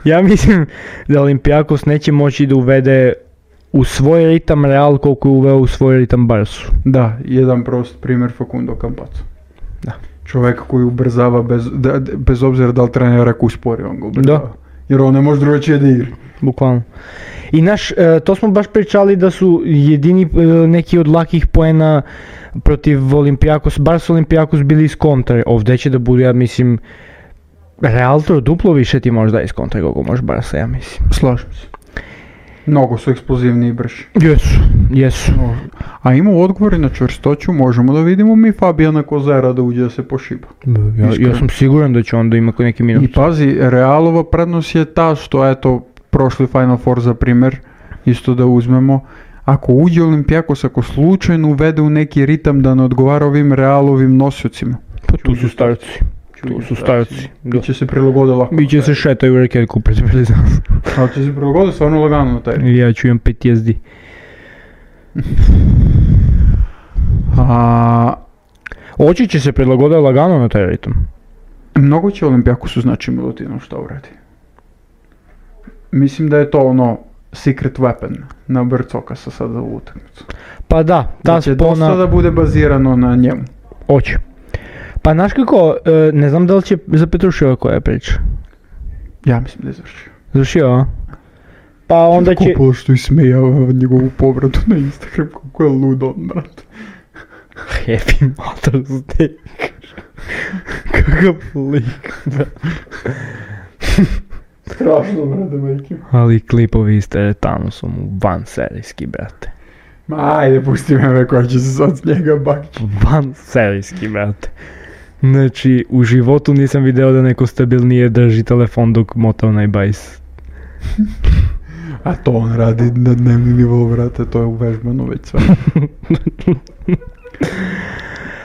Ja mislim da Olimpijakos neće moći da uvede u svoj ritam Real koliko je uveo u svoj ritam Barsu. Da, jedan prost primjer Facundo Campazzo. Da. Čovjek koji ubrzava bez, da, da- bez obzira da li trener ako uspori, on ga ubrzava. Da. Jer on ne može drugačije da igra. Bukvalno. I naš, e, to smo baš pričali da su jedini e, neki od lakih poena protiv Olimpijakos, bar su Olimpijakos bili iz kontre. Ovdje će da bude, ja mislim, Real to duplo više ti možda iz kontre kako može Barsa, ja mislim. Slažem se. Mnogo su eksplozivni i brži. Jesu, jesu. A ima odgovori na čvrstoću, možemo da vidimo mi Fabijana Kozera da uđe da se pošiba. Ja, ja Iskreno. sam siguran da će onda imati neki minut. I pazi, Realova prednost je ta što, eto, prošli Final Four za primjer, isto da uzmemo, ako uđe Olimpijakos, ako slučajno uvede u neki ritam da ne odgovara ovim Realovim nosiocima, Pa tu su starci. Tu su starci. Da. Biće se prilagoditi lako. Biće se šetaju u rekeljku pred prilizam. Ali će se prilagoditi stvarno lagano na taj. Ja ću imam P T S D. A, Oči će se prilagoditi lagano na taj ritam. mnogo će Olimpijakosu znači Milutinov šta uradi. Mislim da je to ono secret weapon na Brcokasa sada u utakmicu. Pa da, ta Da će spona... dosta da bude bazirano na njemu. Oće. Pa znaš kako, e, ne znam da li će za Petruševa koja je priča. Ja mislim da je završio. Završio, a? Pa onda će... Kupilo što ismejava njegovu povratu na Instagram, kako je lud on, brate. Happy Mother's Day. Kakav lik, da. Strašno, brate, majke. Ali klipovi s teretanu su mu van serijski, brate. Ma ajde, pusti me me koja će se sad s njega bakći. Van serijski, brate. Znači, u životu nisam video da neko stabilnije drži telefon dok mota onaj bajs. A to on radi na dnevni nivou, brate, to je uvežbano već sve.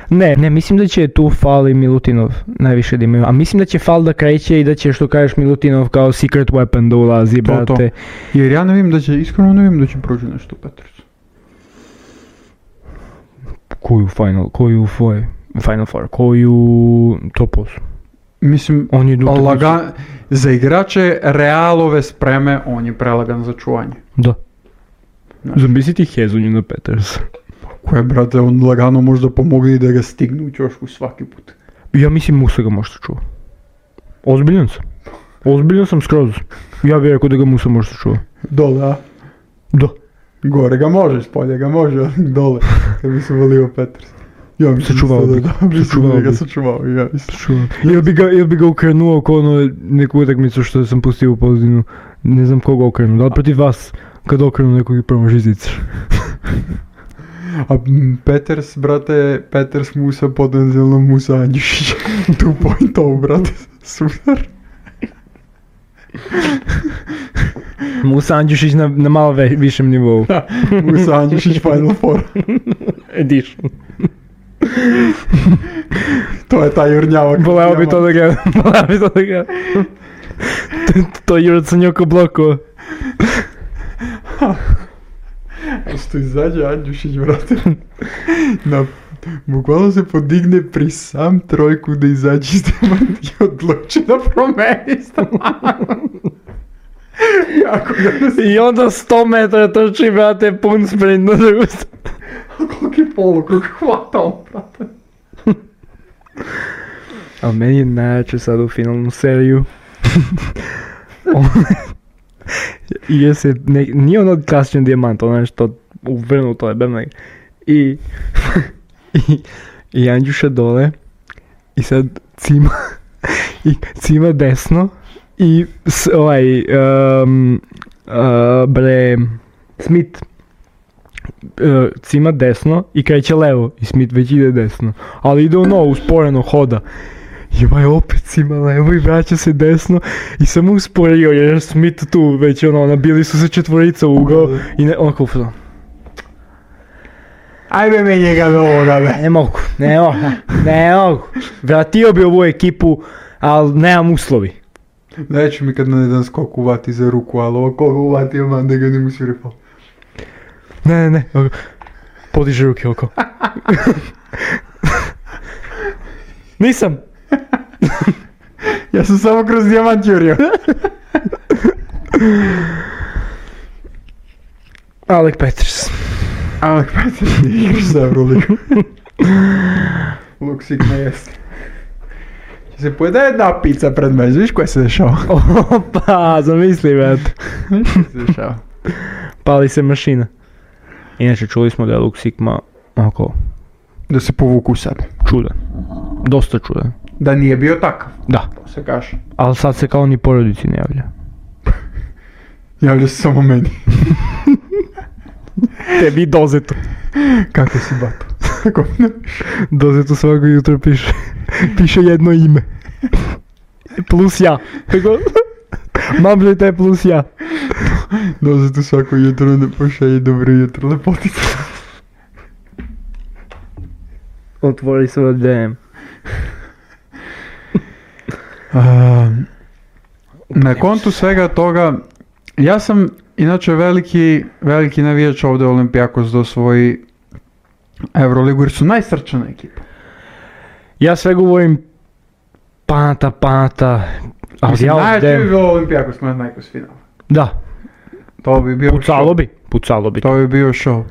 Ne, ne, mislim da će tu Fal i Milutinov najviše da imaju, a mislim da će Fal da kreće i da će, što kažeš, Milutinov kao secret weapon da ulazi, To, to. brate. Jer ja ne vidim da će, iskreno ne vidim da će proći nešto u Petersu. Koju final, koju four, Final Four, koju top osam. Mislim, On je utakmicu- laga, za igrače Realove spreme, on je prelagan za čuvanje. Da. Znaš. Zamisliti Hezonju na Peters. Koje, brate, on lagano možda pomogne i da ga stigne u ćošku svaki put. Ja mislim Musa ga možda čuva. Ozbiljan sam. Ozbiljan sam skroz. Ja bih rekao da ga Musa možda čuva. Dole, a? Da. Gore ga može, spolje ga može, ali dole, kad bi se volio Peters. Ja mislim Sačuvao da bi. da, mislim Sačuvao da ga bi. sačuvao, ja mislim. Čuva. Ili bi ga, ili bi ga ukrenuo kao ono neku utakmicu što sam pustio u pozadinu. Ne znam koga okrenuo. Da li protiv vas kad okrenu nekog i promaši zicer? A m, Peters, brate, Peters Musa potencijalno Musa Andjušić. Two point oh, brate, super. Musa Andjušić na, na malo ve, višem nivou. Musa Andjušić Final Four. Edition. To je taj jurnjavak. Voleo bi to da ga, voleo bi to da ga. To, to je Jurac Sanjoko bloko. Što izađe Andjušić, brate. Na, bukvalno se podigne pri sam trojku da izađe iz demanta i odluči da promeni stranu. Kako ga ne se... I onda sto metara trči, brate, pun sprint na drugu stranu. Koliki polukrug hvata on, brate. Ali meni je najjače sad u finalnu seriju. I je se, ne, nije ono klasičan dijamant, ono nešto uvrnuto je, bem I, i, i Andjuša dole, i sad cima, i cima desno, i s, ovaj, um, uh, bre, Smith, uh, cima desno i kreće levo, i Smith već ide desno, ali ide ono usporeno hoda. I ovaj opet cima levo i vraća se desno i samo usporio jer Smith tu već ono, nabili su se četvorica u ugao i ne, onako ufno. Ajme me njega do ovoga, be. Ne mogu, ne mogu, ne mogu. Vratio bi ovu ekipu, ali nemam uslovi. Neću mi kad na jedan skok uvati za ruku, ali ovo koga uvati man da ga ne musi rifal. Ne, ne, ne, ovako. Podiže ruke oko. Nisam. Ja sam samo kroz dijamant jurio. Alec Peters. Alec Peters nije igraš za Euroligu. Luk Sigma jeste. Će se pojede jedna pizza pred mene, viš koja se dešava? Opa, zamisli, brate. Viš koja se dešava? Pali se mašina. Inače, čuli smo da je Luke Sigma oko Da se povuku u sebe. čudan. Dosta čudan. Da nije bio takav, Da. to se kaže. Ali sad se kao ni porodici ne javlja. Javlja se samo meni. Tebi dozetu. Kako si, bato? Kako ne? Dozetu svako jutro piše. Piše jedno ime. Plus ja. Tako. Mamže te plus ja. Doze tu svako jutro ne pošalje dobro jutro, lepotica. Otvori svoj D M. A, na kontu svega toga, ja sam inače veliki, veliki navijač ovdje Olympiakos da osvoji Euroligu jer su najsrčana ekipa. Ja sve govorim Panata, Panata, ali Mislim, ja najjače ovdje... bi bilo Olympiakos na najkos finala. Da, To bi bio pucalo show. bi, pucalo bi. To bi bio show.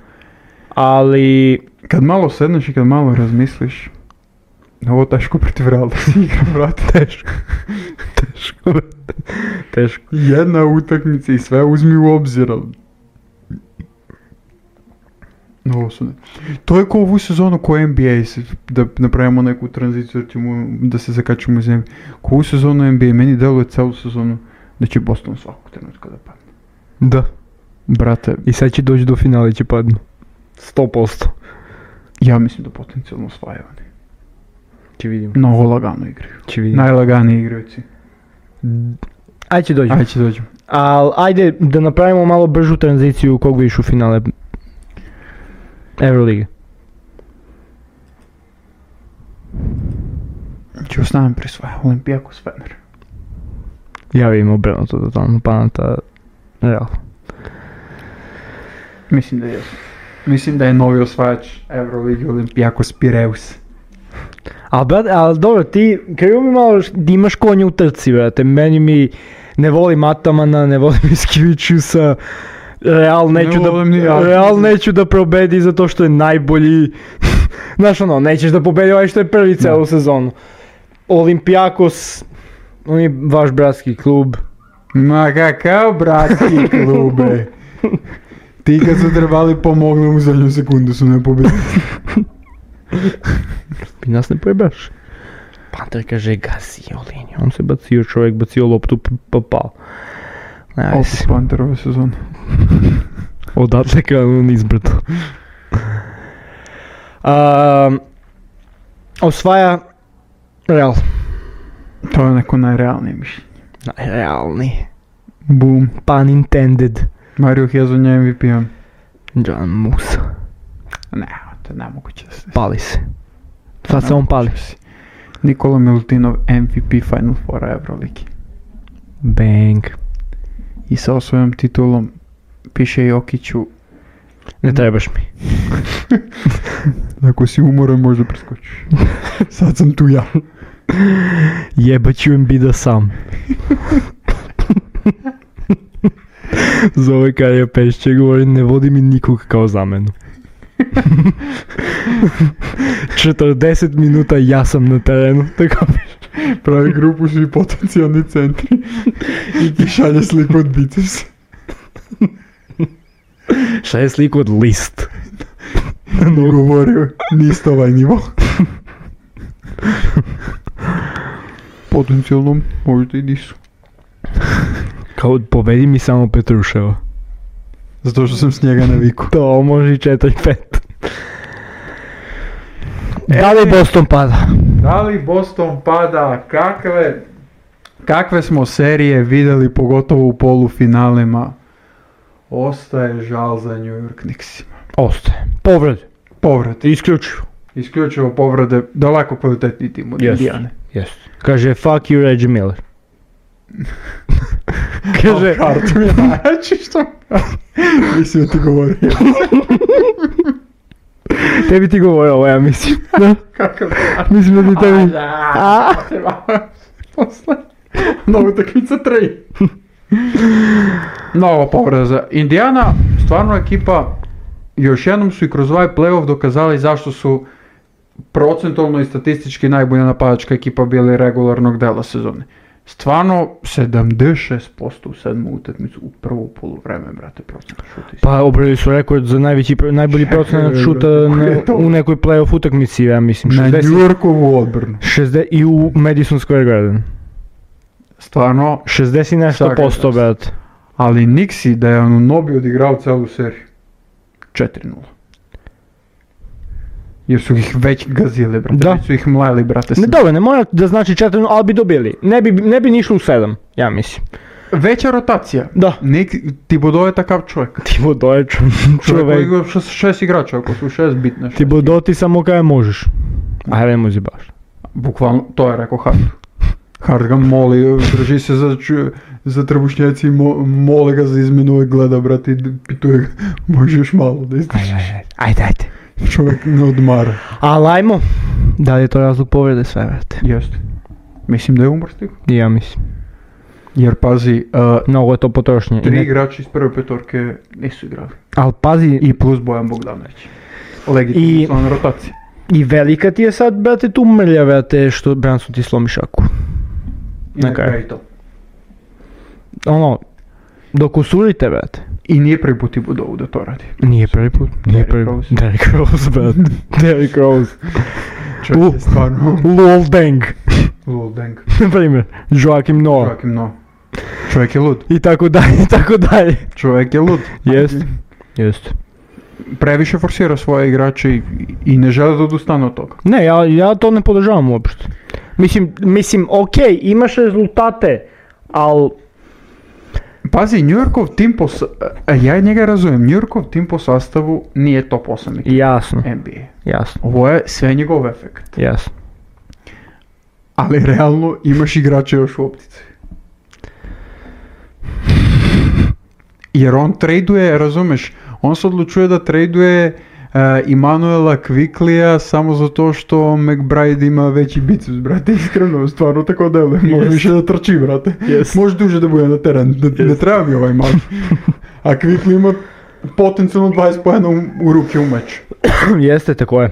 Ali, Kad malo sedneš i kad malo razmisliš, ovo teško protiv Realda se igra, brate. teško, teško, teško. Jedna utakmica i sve uzmi u obzir, ali... Ovo su ne. To je kao ovu sezonu ko N B A, se- da napravimo neku tranziciju, da, ćemo, da se zakačemo u zemlji. Ko ovu sezonu N B A, meni deluje celu sezonu da će Boston svakog trenutka da padne. Da. Brate, I sad će doći do finala i će padnu. sto posto. ja mislim da potencijalno osvajaju oni. Će vidimo. Mnogo lagano igraju. Će vidimo. Najlaganiji igrajući. Ajde će dođemo. Ajde će dođemo. Al ajde da napravimo malo bržu tranziciju kog vidiš u finale Eurolige. Ću ostavim prisvaja, Olympiakos Fener. Ja vidim obrnuto totalno, Panata, Real. Mislim da je. Mislim da je novi osvajač Euroligi Olympiakos Pireus. Al brate, al dobro, ti, krivo mi malo š- da imaš konja u trci, brate, meni mi ne volim Atamana, ne volim Iskivičiusa, Real neću Ne da, volim ni ja. Real neću da probedi zato što je najbolji, znaš ono, nećeš da pobedi ovaj što je prvi celu sezonu. Olympiakos, on je vaš bratski klub. Ma kakav bratski klube. Ti kad su trebali pomogli u zadnju sekundu su ne pobedili. I nas ne pojebaš. Panter kaže gasio liniju, on se bacio čovjek, bacio loptu p- pa pao. Ajde, Opet Panter ove sezone. odatle krenuo nizbrdo. Um, osvaja Real. To je neko najrealnije mišljenje. Najrealni. Boom. Pun intended. Mario Hezonja M V P-om. John Musa. Ne, to je nemoguće da se... Pali se. Sad se on pali. Nikola Milutinov M V P Final Four Euroligi. Bang. I sa svojom titulom piše Jokiću, Ne trebaš mi. ako si umoran možda preskočiš. Sad sam tu ja. Jebat ću Embida sam. Zove Karija Pešće govori, ne vodi mi nikog kao zamenu. četrdeset minuta ja sam na terenu, tako Pravi grupu svi potencijalni centri i ti šalje sliku od bicepsa. šta je sliku od list. No, govorio, niste ovaj nivo. Potencijalno možda i nisu. Kao povedi mi samo Petruševa. Zato što sam s njega naviku. To može i četiri pet. Da li Boston pada? Da li Boston pada? Kakve, kakve smo serije vidjeli, pogotovo u polufinalima? Ostaje žal za New York Knicksima. Ostaje. Povrede. Povrat. Isključivo. Isključivo povrede, daleko kvalitetniji tim od Yes. Indijane. Yes. Kaže fuck you Reggie Miller. Kaže, Hart mi je najjači što... Mislim da ti govorio. tebi ti govori ovo, ja mislim. Da. Kakav Mislim da ti tebi... A, posle. Nova utakmica tri. Nova povreda za Indijana, stvarno ekipa, još jednom su i kroz ovaj playoff dokazali zašto su procentualno i statistički najbolja napadačka ekipa bili regularnog dela sezone. Stvarno, sedamdeset šest posto u sedmu utakmicu u prvu poluvreme, brate, procent šuta. Pa obrali su rekord za najveći, pr- najbolji procenat šuta na, u nekoj playoff utakmici, ja mislim. Na šezdeset, New Yorkovu odbranu. šezdeset i u Madison Square Garden. Stvarno, šezdeset i nešto Svaka posto, čast. brate. ali Nixi da je Anunobi odigrao celu seriju. četiri nula. Jer su ih već gazili, brate. Da. Već su ih mleli, brate. Ne, dobro, ne mora da znači četiri, ali bi dobili. Ne bi, ne bi ni išlo u sedam, ja mislim. Veća rotacija. Da. Nik, Thibodeau je takav čovjek. Thibodeau je čo- Čovjek koji čovjek. igra šest, šest igrača, ako su šest bitne. Šest. Thibodeau ti samo kada možeš. A ne muzi baš. Bukvalno, to je rekao Hart. Хард ga моли, држи се за, за требушњаци и моле ga за изменува гледа, брате, и питуе ga, можеш мало да издржиш. Ајде, ајде, ајде. Човек не одмара. А лајмо, дали е тоа разлог повреде све, брате? Јесте. Мислим да е умр стига. И ја мислим. Jer pazi, uh, Много е то потрошње. tri igrači iz prve petorke nisu igrali. Ал пази, I plus Bojan Bogdanović. Legitimno I- član rotacije. и велика ти е сад, брате, ту мрља, брате, што Брансо ти сломи шаку. I Na na kraju. kraju to. Оно, докусурите, брате. I nije prvi put i Budovu da to radi. Nije prvi put. Nije Derrick prvi Rose. Derrick Rose, brate. Derrick Rose. Čovjek je stvarno Lol Deng, lul deng. na primjer. Joakim Noah. Joakim Noah. Čovjek je lud. I tako dalje, i tako dalje. Čovjek je lud. Jest. Jest. Previše forsira svoje igrače i, i ne žele da odustane od toga. Ne, ja, ja to ne podržavam uopšte. Mislim, mislim, okej, imaš rezultate, al Pazi, New Yorkov tim po... sa- a ja njega razumijem, New Yorkov tim po sastavu nije top osam ekipa jasno, N B A. jasno, Ovo je sve njegov efekt. jasno. Ali realno imaš igrače još u optici. Jer on traduje, razumeš, on se odlučuje da traduje uh, Immanuela Quicklija samo zato što McBride ima veći biceps, brate, iskreno, stvarno tako deluje, može Jest. više da trči, brate, Jest. može duže da bude na teren, ne, ne treba mi ovaj mač. A Quickly ima potencijalno dvadeset poena u, u ruke u meč. Jeste, tako je.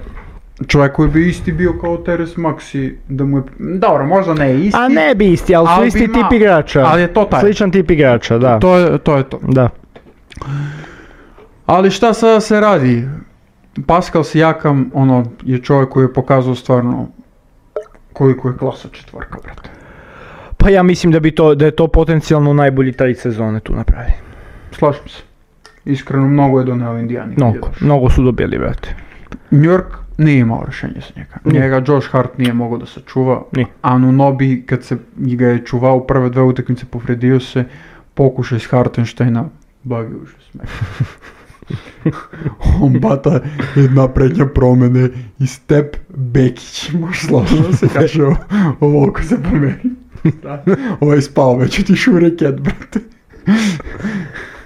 Čovjek koji bi isti bio kao Teres Maxi, da mu je, dobro, možda ne isti, A ne bi isti, ali su ali isti bi tip imao- igrača. ali je to taj. Sličan tip igrača, da. to je to. Je to. Da. Ali šta sada se radi? Pascal Siakam, ono, je čovjek koji je pokazao stvarno koliko je klasa četvorka, brate. Pa ja mislim da bi to, da je to potencijalno najbolji trade sezone tu napravi. Slažem se. Iskreno, mnogo je doneo Indijani. Mnogo, mnogo su dobili, brate. New York nije imao rješenje za njega. Ni. Njega Josh Hart nije mogao da sačuva. Ni. Anunobi, kad se ga je čuvao u prve dve utakmice, povredio se, pokušaj s Hartensteina, blagi užas. On bata jedna prednja promene i Step Bekić, može slavno da se kaže ovo, ovo oko se pomeri. Ovo je spao, već otišao u reket, brate.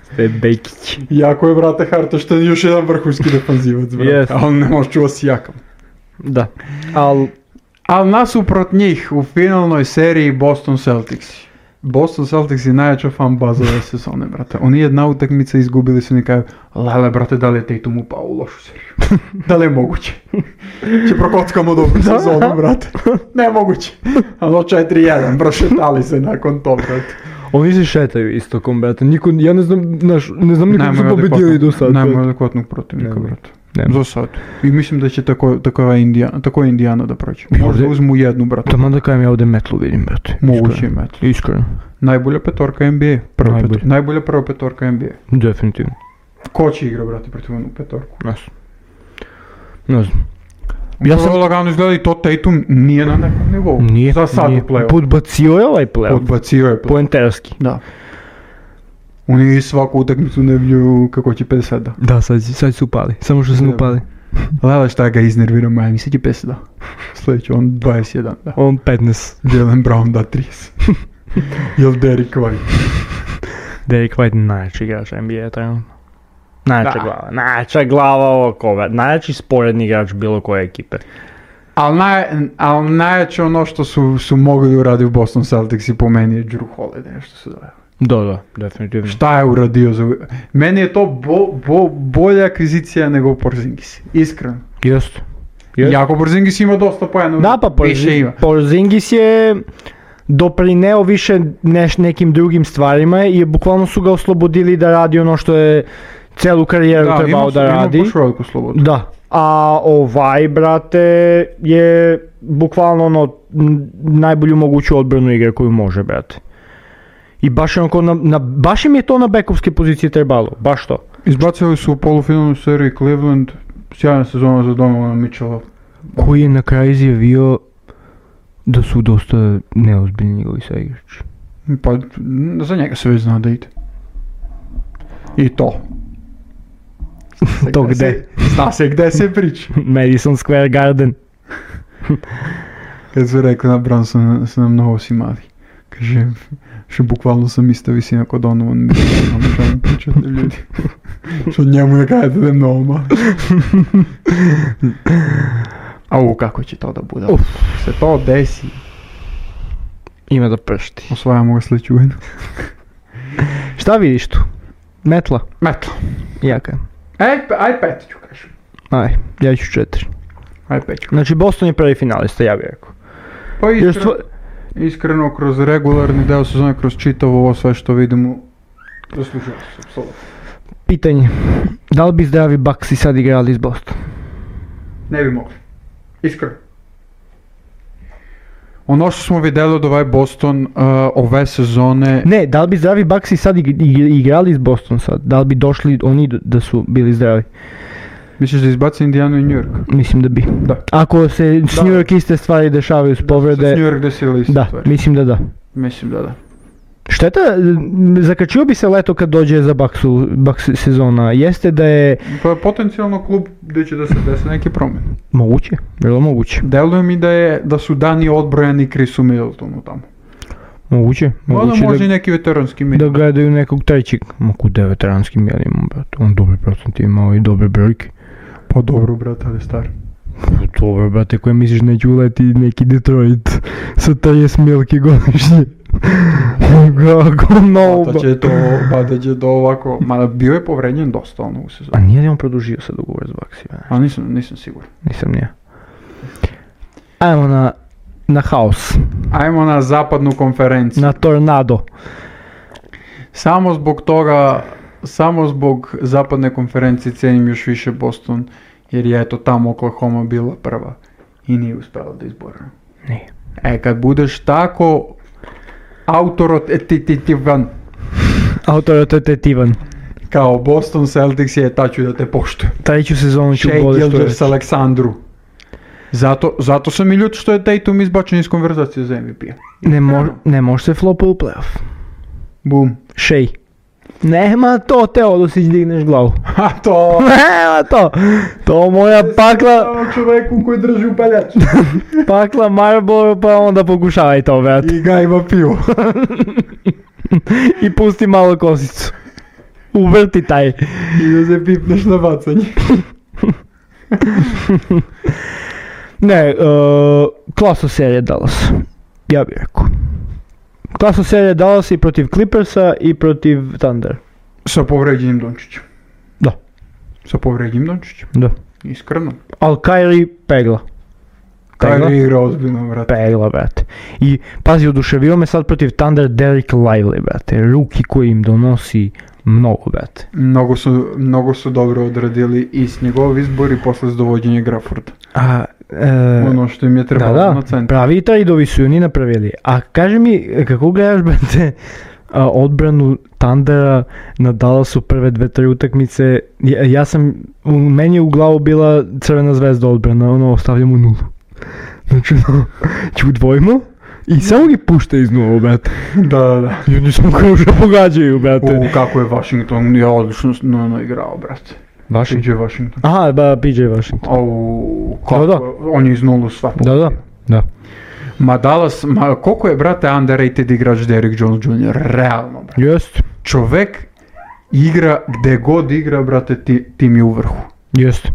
Step Bekić. Jako je, brate, Hartenstein još jedan vrhunski defanzivac, brate, Jest. a on ne može čuva Sijakam. Da. Al, Ali nasuprot njih u finalnoj seriji Boston Celtics. Boston Celtics je najjača fan baza ove sezone, brate. Oni jedna utakmica izgubili su, oni kažu, lele, brate, da li je Tatum upao u lošu seriju? Da li je moguće? Če prokockamo dobru sezonu, brate. Nemoguće. Ali četiri jedan, prošetali se nakon to, brate. oni se šetaju istokom, brate. Niko, ja ne znam, naš, ne znam nikog su pobedili do sad. Nemoj adekvatnog protivnika, Nemoj. brate. Nemoj. Za sad. I mislim da će tako, tako, Indijana, tako je Indijana da prođe. Možda Ovdje- uzmu jednu, brate. Taman da kajem ja ovdje metlu vidim, brate. Moguće Iskreno. imati. Iskreno. Najbolja petorka N B A. Prva Najbolja. petorka. Najbolja prva petorka N B A. Definitivno. Ko će igra, brate, protiv onu petorku? Ne znam. Ne znam. Ja Ja sam sam- lagano izgleda i to Tatum nije na nekom nivou. Nije, Za sad nije. u play-off. Podbacio je ovaj play-off. Podbacio je play. Poenterski. Da. Oni svaku utakmicu ne vlju kako će pedeset da. Da, sad, sad su upali. Samo što su Da. upali. Lele šta ga iznervira Miami, sad će pedeset da. Sljedeće on dvadeset jedan da. On petnaest. Jalen Brown da trideset. Jel Derrick White? Derrick White najjači igrač N B A trenutno. Najjača Da. glava. Najjača glava ovog kova. Najjači sporedni igrač bilo koje ekipe. Ali naj, al najjače ono što su, su mogli da uradi u Boston Celtics i po meni je Drew Holiday što su doveli. Da, da, definitivno. Šta je uradio za... Meni je to bo, bo, bolja akvizicija nego Porzingis. Iskreno. Jest. Jest. Jako Porzingis ima dosta pojena. Da, pa više ima. Porzi- Porzingis je doprineo više neš, nekim drugim stvarima i bukvalno su ga oslobodili da radi ono što je celu karijeru Da, trebao ima, da radi. Ima baš veliku slobodu. Da. A ovaj, brate, je bukvalno ono n- najbolju moguću odbranu igre koju može, brate. I baš, onako na, na, baš im je to na bekovske pozicije trebalo, baš to. Izbacili su u polufinalnu seriju Cleveland, sjajna sezona za Donovana Mitchella. Koji je na kraju izjavio da su dosta neozbiljni njegovi saigrači. Pa za njega se već zna da ide. I to. To Gde gde? se- Zna se gde se priča. Madison Square Garden. Kad su rekli na Brown su, na- su nam mnogo si mali. Kaže, što bukvalno sam ista visina kod Donovan Mitchell, ono što mi pričate ljudi. Što njemu ne kažete da je mnogo mali. Au, kako će to da bude? Uf. Se to desi. Ima da pršti. Osvajamo ga sledeću godinu. Šta vidiš tu? Metla? Eto. Jaka. Aj, aj pet ću kažem. Aj, ja ću četiri. Aj pet ću. Znači Boston je prvi finalista, ja bih rekao. Pa Jer iskreno, stva- iskreno kroz regularni deo sezone, kroz čitavo ovo sve što vidimo, zaslužio se, apsolutno. Pitanje, da li bi zdravi Bucksi sad igrali iz Boston? Ne bi mogli. Iskreno. Ono što smo vidjeli od ovaj Boston uh, ove sezone, Ne, da li bi zdravi Bucksi sad ig- ig- igrali iz Boston sad? Da li bi došli oni d- da su bili zdravi? misliš da izbaci Indijanu i New York? Mislim da bi. Da. Ako se s Da. New York iste stvari dešavaju s S povrede, New York desili iste da, stvari. mislim da da. Mislim da da. Šteta, m, zakačio bi se leto kad dođe za Bucksu, Bucks sezona, jeste da je To je potencijalno klub gdje će da se desi neke promjene. moguće, vrlo moguće. Deluje mi da, je, da su dani odbrojani Chrisu Middletonu tamo. Moguće, Možda moguće može i da, neki veteranski da minimum. gledaju nekog trećeg. Ma kude je veteranski minimum, brate, on dobre procent imao i dobre brojke. Pa dobro, brate, ali star. Dobro, brate, koje misliš neće uleti neki Detroit sa trideset milki godišnje. Kako mnogo. Pa da će to, pa da će to ovako, mada bio je povrednjen dosta ono u A sezoni. nije li on produžio sad ugovor s Bucksima? Ali nisam, nisam siguran. Nisam nije. Ajmo na, na haos, Ajmo na zapadnu konferenciju. na tornado. Samo zbog toga, samo zbog zapadne konferencije cijenim još više Boston, jer je eto tamo Oklahoma bila prva i nije uspjela da izbora. Nije. E, kad budeš tako autorotetivan Autoritetivan. kao Boston Celtics je, ta ću da te poštujem. Treću sezonu ću Shea bolje što Gilgeous reći. Aleksandru. Zato, zato sam i ljut što je Tatum izbačen iz konverzacije za M V P-a. Ne, mo- ne može se flopa u playoff. Bum. Shea. Nema to, Teodosić, digneš glavu. Ha, to... Nema to. To moja pakla, Ovo čoveku koji drži upaljač. pakla Marlboro, pa onda pokušavaj to, brate. I gajba pivo. I pusti malo kosicu. Uvrti taj. I da se pipneš na bacanje. Ne, uh, klaso serije Dallas. Ja bih rekao. Klaso serije Dallas i protiv Clippersa i protiv Thunder. Sa povređenim Dončićem. Da. Sa povređenim Dončićem. Da. Iskreno. Al Kyrie pegla. Pegla? Kyrie igra ozbiljno, brate. Pegla, brate. I pazi, oduševio me sad protiv Thunder Derek Lively, brate. Ruki koji im donosi mnogo, brate. Mnogo su, mnogo su dobro odradili i s njegov izbor i posle s dovođenje Grafforda. A, e, Ono što im je da, trebalo da, na centru. pravi tradeovi su i oni napravili. A kaži mi, kako gledaš, brate, a, odbranu Thundera na Dallasu prve dve, tri utakmice, ja, ja sam, u meni je u glavu bila Crvena zvezda odbrana, ono, ostavljamo nulu. Znači, ono, čudvojimo i samo gi pušta iz nula, brate. Da, da, da. I oni samo kruže pogađaju, brate. U, kako je Washington, je odlično no, no, igrao, brate. Vaši? P J Washington. Aha, ba, P J Washington. Au, kako, Da, da. on je iz nulu sva Da, da, da. Ma Dallas, ma koliko je, brate, underrated igrač Derrick Jones junior Realno, brate. Jest, Čovek igra, gde god igra, brate, ti, tim je u vrhu. jest.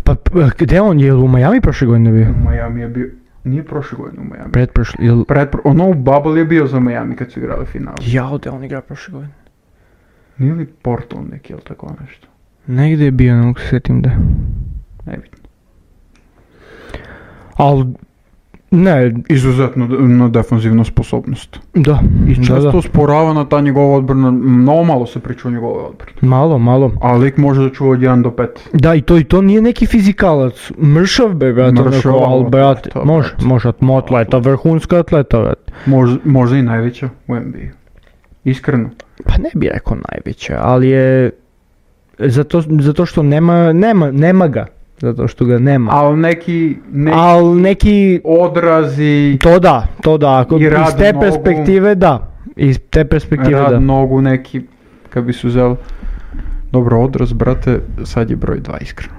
Pa, p- gde on, je li u Miami prošle godine bio? U Miami je bio, nije prošle godine u Miami. Pretprošle, jel... Pred, ono u Bubble je bio za Miami kad su igrali final. Jao, gde on igra prošle godine? Nije li Portland neki ili tako nešto? Negdje je bio, ne mogu se sjetim da. Nebitno. Al, ne, Izuzetno de- na defanzivnu sposobnost. da, I da, često da. sporavana ta njegova odbrana, mnogo malo se priča o njegove odbrane. Malo, malo. A lik može da čuva od jedan do pet. Da, i to, i to nije neki fizikalac. Mršav be, brate, Mršav, onako, al, ali brate, atleta, može, brate. može, atleta, vrhunska atleta, brate. Možda, možda i najveća u N B A. Iskreno. Pa ne bi rekao najveća, ali je, zato, zato što nema, nema, nema ga, zato što ga nema. Ali neki, neki Al neki, odrazi, to da, to da, ako I iz rad te nogu. perspektive da, iz te perspektive rad da. nogu neki, kad bi su uzeli. Dobro, odraz, brate, sad je broj dva iskreno.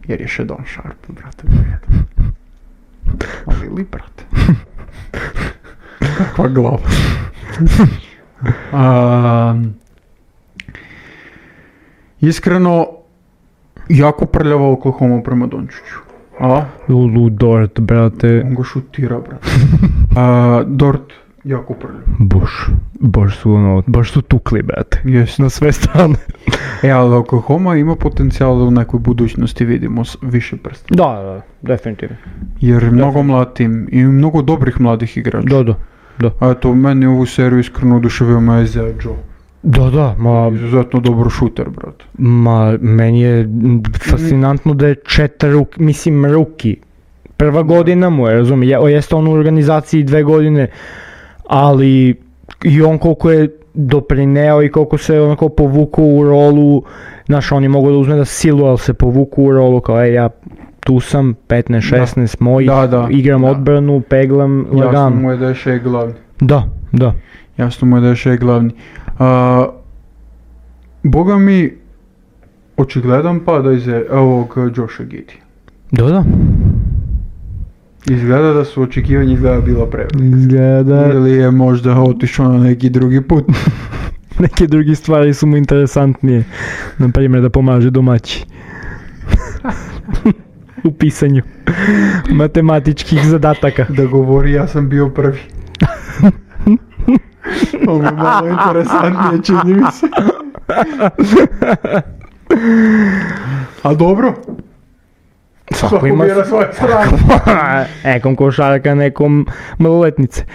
Jer je Shedon Sharp, brate, broj jedan. Ali li, brate? Kakva glava. A, iskreno, jako prljava Oklahoma prema Dončiću. A? Lulu Dort, brate. On ga šutira, brate. A, Dort, jako prljava. Bož, bož su ono, baš su tukli, brate. Jest. Na sve strane. E, ali Oklahoma ima potencijal da u nekoj budućnosti vidimo s- više prsta. Da, da, definitivno. Jer mnogo mlad tim i mnogo dobrih mladih igrača. Da, da. Da, A eto, meni ovu seriju iskreno oduševio me Isaiah Joe. da, da, ma, Izuzetno dobro šuter, brate. ma, meni je m, fascinantno da je četiri, ruk, mislim, ruki. Prva godina mu je, razumije, je, jeste on u organizaciji dve godine, ali i on koliko je doprineo i koliko se onako povuku u rolu, znaš, on je mogao da uzme da silu, ali se povuku u rolu kao, ej, ja tu sam, petnaest šesnaest mojih, Da, da, igram da. odbranu, peglam, Jasno lagano. mu je da je Shea glavni. Da, da. Jasno mu je da je Shea glavni. A, Boga mi, očigledan pada iz ovog Josha Giddey. Da, da. Izgleda da su očekivanja izgleda bila prevelika. Izgleda, Ili je možda otišao na neki drugi put. neke druge stvari su mu interesantnije. Na primjer da pomaže domaći. U pisanju matematičkih zadataka. Da govori ja sam bio prvi. Ovo je malo interesantnije, čini mi se. A dobro, Svako svako ima bira svoje strane. nekom košarka, nekom maloletnice.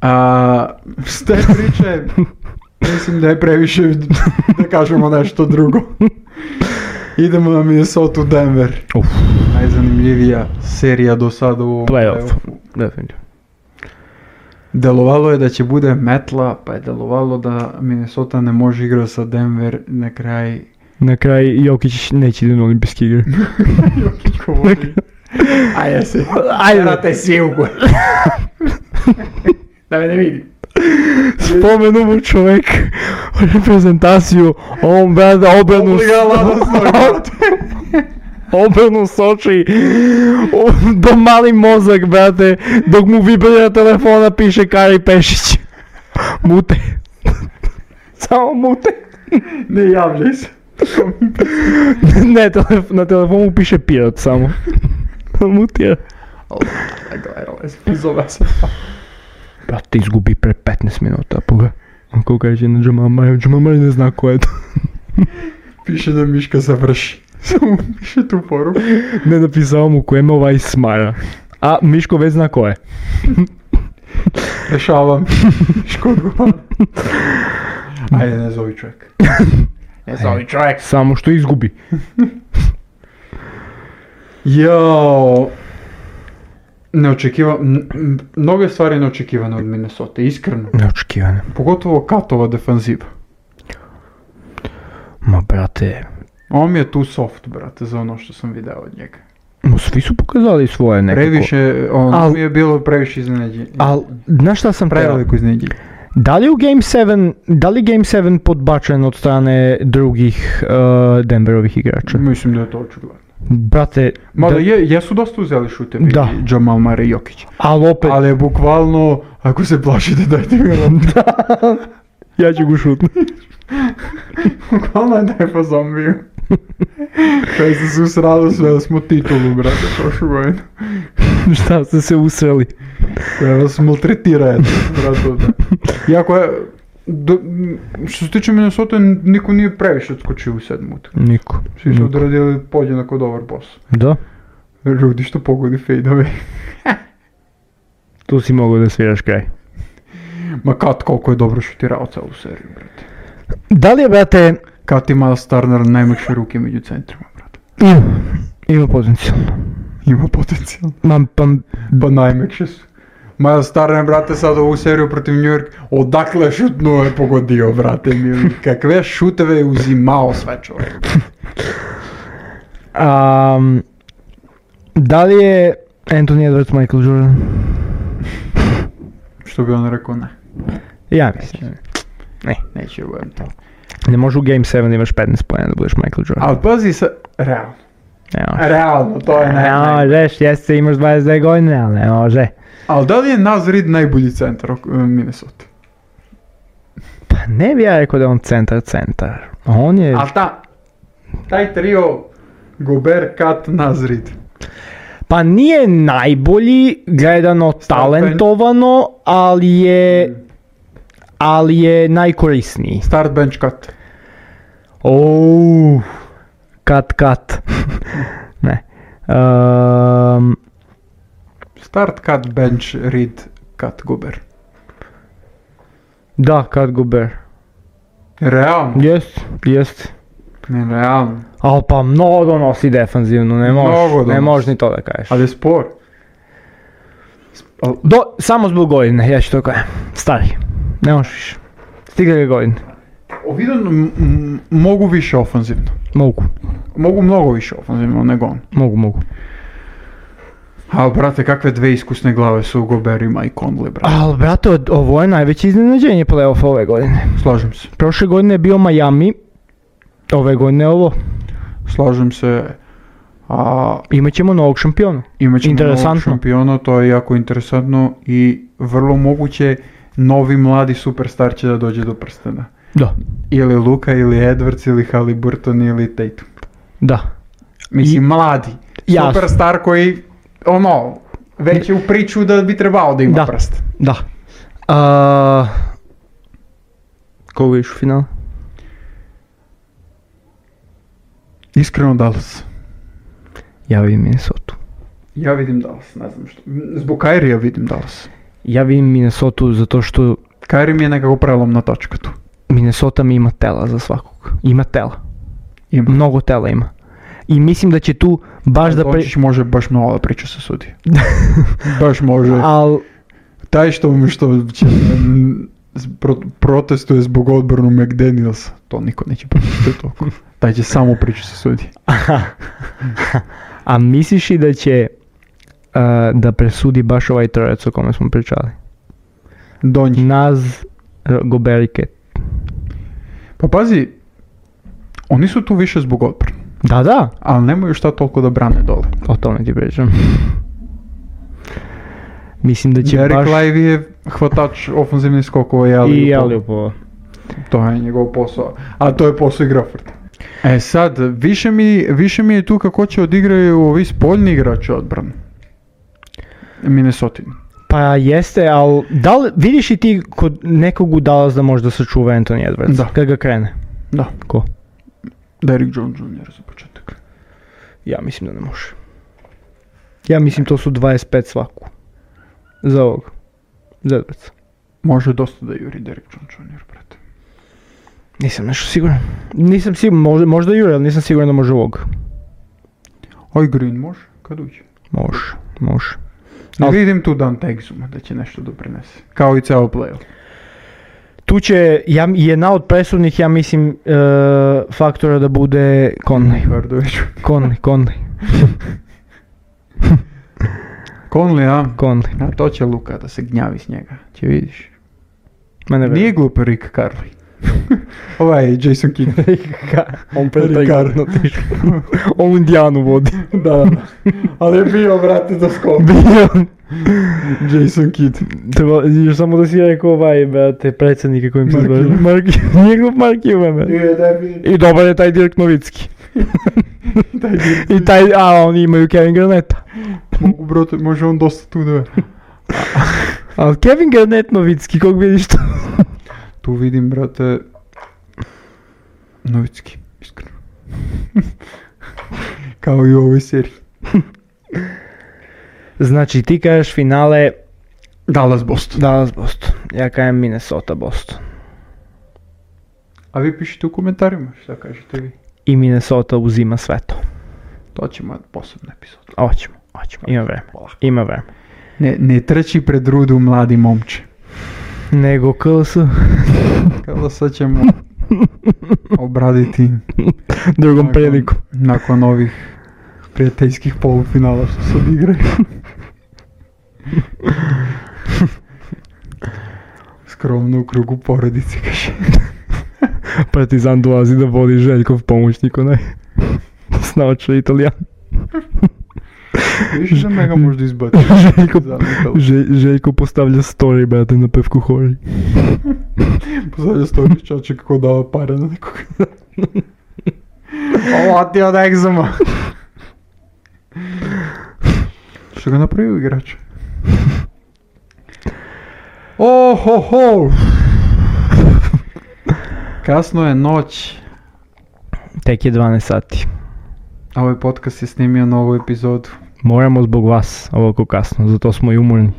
A, s te priče, mislim da je previše da kažemo nešto drugo. Idemo na Minnesota Denver. Uf. Najzanimljivija serija do sada u ovom Playoff. playoffu. Definitivno. Delovalo je da će bude metla, pa je delovalo da Minnesota ne može igrati sa Denver na kraj. Na kraj Jokić neće ići na olimpijske igre. Jokić govori. A jesi. Ajde. Terate svi u gore. Da me ne vidi. Spomenu mu čovjek reprezentaciju, on brada obranu obranu Soči, do mali mozak, brate, dok mu vibrira telefona piše Kari Pešić. Mute. Samo mute. Ne javljaj se. Ne, telef- na telefonu piše Pirot samo. Mutira. Gledaj, spizova se. Brate, izgubi pre petnaest minuta, poga. Ako kaže na Jamal Murray, Jamal Murray ne zna ko je to. Piše da Miška završi. Samo piše tu poruku. Ne napisao mu ko je ovaj smara. A Miško već zna ko je. Rešavam. Miško odgovara. Ajde, ne zovi čovjek. Ne zovi čovjek. Samo što izgubi. Jao. Neočekiva, m- m- mnoge stvari neočekivane od Minnesota, iskreno. Neočekivano. Pogotovo Katova defanziva. Ma brate, On mi je tu soft, brate, za ono što sam video od njega. mu svi su pokazali svoje nekako. Previše, on Al- mi je bilo previše iznenađenje. Al, znaš šta sam preveo? Preveliko iznenađenje. Da li u Game sedam, da li Game sedam podbačen od strane drugih uh, Denverovih igrača? Mislim da je to očigledno. Brate, Mada da, je, jesu dosta uzeli šutevi Da. Jamal Murray i Jokić. ali opet, Ali je bukvalno, ako se plašite, dajte mi loptu. ja ću go šutnuti. Bukvalno je da je po zombiju. Kaj se se usralo sve, da smo titulu, brate, prošlu godinu. Šta ste se usreli? Koja vas maltretira, eto, brate. Iako je, do, što se tiče Minnesota, niko nije previše odskočio u sedmu utakmicu. Niko. Svi su Niko. odradili podjednako dobar posao. Da, Rudy što pogodi fade-ove. tu si mogao da sviraš kraj. Ma Kat koliko je dobro šutirao celu seriju, brate. Da li je, brate, Kat i Miles Turner najmekše ruke među centrima, brate. ima, ima potencijal. Ima potencijal. Ma, pa, Pa najmekše su. Miles Turner, brate, sad ovu seriju protiv New York, odakle šutnuo je pogodio, brate, mili. Kakve šuteve je uzimao sve čovjek. um, da li je Anthony Edwards Michael Jordan? Što bi on rekao, ne. Ja mislim. Ne. Neće budem to. Ne može u Game sedam da imaš petnaest pojena da budeš Michael Jordan. Ali pazi sa, realno. Ne može. Realno, to je Ne ne. možeš, jeste imaš dvadeset dvije godine, ali ne može. Ali da li je Naz Reid najbolji centar u Minnesota? Pa ne bi ja rekao da je on centar centar. On je... A ta, taj trio Gobert, Kat, Naz Reid. Pa nije najbolji gledano talentovano, ali je... Ali je najkorisniji. Start, bench, cut. Ouuu, kat, kat. Ne. Um, Start, cut, bench, Reid, cut, Gobert. da, kat Gobert. Realno? Jest, jest. Ne, realno. Ali pa mnogo nosi defanzivno, ne Mnogo možeš, ne donosi. možeš ni to da kažeš. Ali je spor. Al- Do, samo zbog godine, ja ću to kažem. Stari, ne možeš više. Stigle ga godine. Ovidio m- m- mogu više ofanzivno. Mogu, Mogu mnogo više ofanzivno nego on. mogu, mogu. Ali, brate, kakve dve iskusne glave su u Goberima i Conley, brate. Ali, brate, od- ovo je najveće iznenađenje play-offa ove godine. Slažem se. Prošle godine je bio Miami, ove godine je ovo. Slažem se. A Imaćemo novog šampiona. imat ćemo novog Interesantno. šampiona, to je jako interesantno i vrlo moguće novi mladi superstar će da dođe do prstena. Da, Ili Luka, ili Edwards, ili Haliburton, ili Tatum. da. Mislim, I- mladi. Jasno. Superstar koji, ono, već je u priču da bi trebao da ima Da. prst. Da. A... Koga vidiš u finalu? Iskreno Dallas. Ja vidim Minnesota. Ja vidim Dallas, ne znam što. Zbog Kairija vidim Dallas. Ja vidim Minnesota zato što Kairi mi je nekako prelomna točka tu. Minnesota mi ima tela za svakog. Ima tela. Ima. Mnogo tela ima. I mislim da će tu baš da... Pre... Dončić može baš mnogo da priča sa sudije. Baš može. Al... Taj što, što će, m, pro, protestuje zbog odbranu McDanielsa, to niko neće pričati toliko. Taj će samo pričati sa sudije. A misliš i da će uh, da presudi baš ovaj trojac o kome smo pričali? Donji. Naz, R- Gobert i Cat. Pa pazi, oni su tu više zbog odbrane, Da, da. ali nemaju šta toliko da brane dole. O tome ti pričam. Mislim da će Derek baš... Lively je hvatač ofenzivnih skokova i I alley-oopa. Aliupova. To je njegov posao. A to je posao i Grafford. E sad, više mi, više mi je tu kako će odigraju ovi spoljni igrači odbranu. Minnesota. Pa jeste, ali da li, vidiš i ti kod nekog u Dallas da možda sačuva Anthony Edwards? Da. Kad ga krene? Da. Ko? Derrick Jones junior za početak. Ja mislim da ne može. Ja mislim to su dvadeset pet svaku. Za ovog. Za Edwardsa. Može dosta da juri Derrick Jones junior, brate. Nisam nešto siguran. Nisam siguran, možda, možda jure, ali nisam siguran da može ovog. Oj, Green može? Kad uđe? Može, može. Ne Al- vidim tu Dante Exuma da će nešto doprinese. Kao i ceo play-off. Tu će, ja, jedna od presudnih, ja mislim, uh, faktora da bude Conley. Vardoviću. Conley, Conley, Conley, a? Conley. A to će Luka da se gnjavi s njega. Će vidiš. Mene Nije glup Rick Carly. Ovaj Jason Kidd. On Ricardo. otišao. On u Indijanu vodi. Da, ali je bio, brate, za skok. Bio. Jason Kidd. Treba, još samo da si rekao ovaj, brate, predsjednike kojim se Mark zove. Cuban. Mark, nije glup Mark Cuban, brate. Je, da I dobar je taj Dirk Novicki. taj dio. I taj, a oni imaju Kevin Garnetta. Mogu, brate, može on dosta tu da je. Ali Kevin Garnett Novicki, kog vidiš tu? Tu vidim, brate, Novicki, iskreno. Kao i u ovoj seriji. Znači ti kažeš finale Dallas Boston. Dallas Boston. Ja kažem Minnesota Boston. A vi pišite u komentarima šta kažete vi. I Minnesota uzima sve to. To ćemo posebno epizodu. Hoćemo, hoćemo. Ima vreme. Polako. Ima vreme. Ne, ne trči pred rudu mladi momče. Nego K S. Kada sad ćemo obraditi Drugom nakon- prilikom. nakon ovih prijateljskih polufinala što se odigraju. Skromno u krugu porodice, kaže. Partizan dolazi da vodi Željkov pomoćnik onaj. Snaoča Italijan. Виж да мега може да избати. Željko, Že- Željko postavlja story, brate, na pevku hori. Postavlja story čače kako dava pare na nekoga. Ова ти од екзема. Што го направи играч? О, хо, хо! Касно е ноć. Tek je dvanaest sati. A ovaj podcast je snimio novu epizodu. Moramo zbog vas ovako kasno, zato smo i umorni.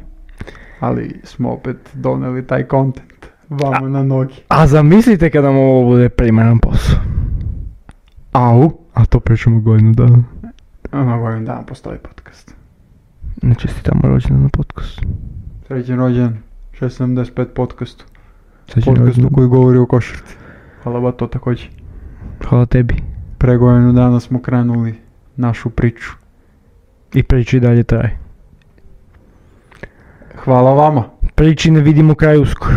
Ali smo opet doneli taj content vama na nogi. A zamislite kada nam ovo bude primaran posao. Au? A to pričamo godinu dana. Na godinu dana postoji podcast. Ne čestitamo rođendan na podcast. Srećen rođendan, šest sedamdeset pet podcastu. Srećen Podcastu rođendan. koji govori o košarci. Hvala ba to također. Hvala tebi. Pre godinu dana smo krenuli našu priču. I priča i dalje traje. Hvala vama. Priči ne vidimo kraj uskoro.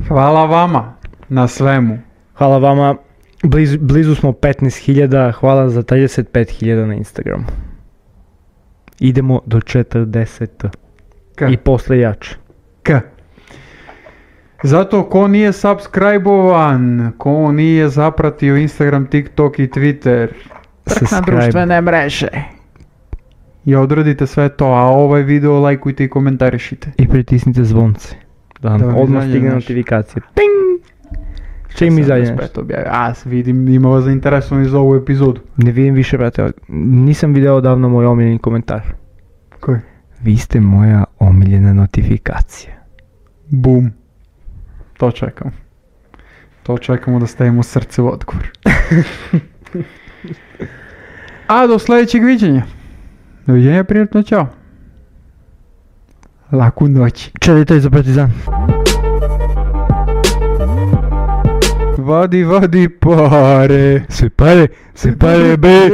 Hvala vama na svemu. Hvala vama. Blizu, blizu smo petnaest hiljada. Hvala za trideset pet hiljada na Instagramu. Idemo do četrdeset. K. I posle jače. K. Zato ko nije subscribe-ovan, ko nije zapratio Instagram, TikTok i Twitter, trk na Subscribe. društvene mreže. I odradite sve to, a ovaj video lajkujte i komentarišite. I pritisnite zvonce. Da vam Da vam odmah izađe stigne naš- notifikacija. Ting! Čim izađe nešto. sedamdeset pet objavi. A, vidim, ima vas zainteresovani za ovu epizodu. Ne vidim više, brate. Nisam video odavno moj omiljeni komentar. Koji? Vi ste moja omiljena notifikacija. Bum. To čekamo. To čekamo da stavimo srce u odgovor. A do sljedećeg viđenja. Doviđenja, prijatno, čao. Laku noć. Čelite za Partizan. Vadi, vadi pare. Sve pare, sve pare, be.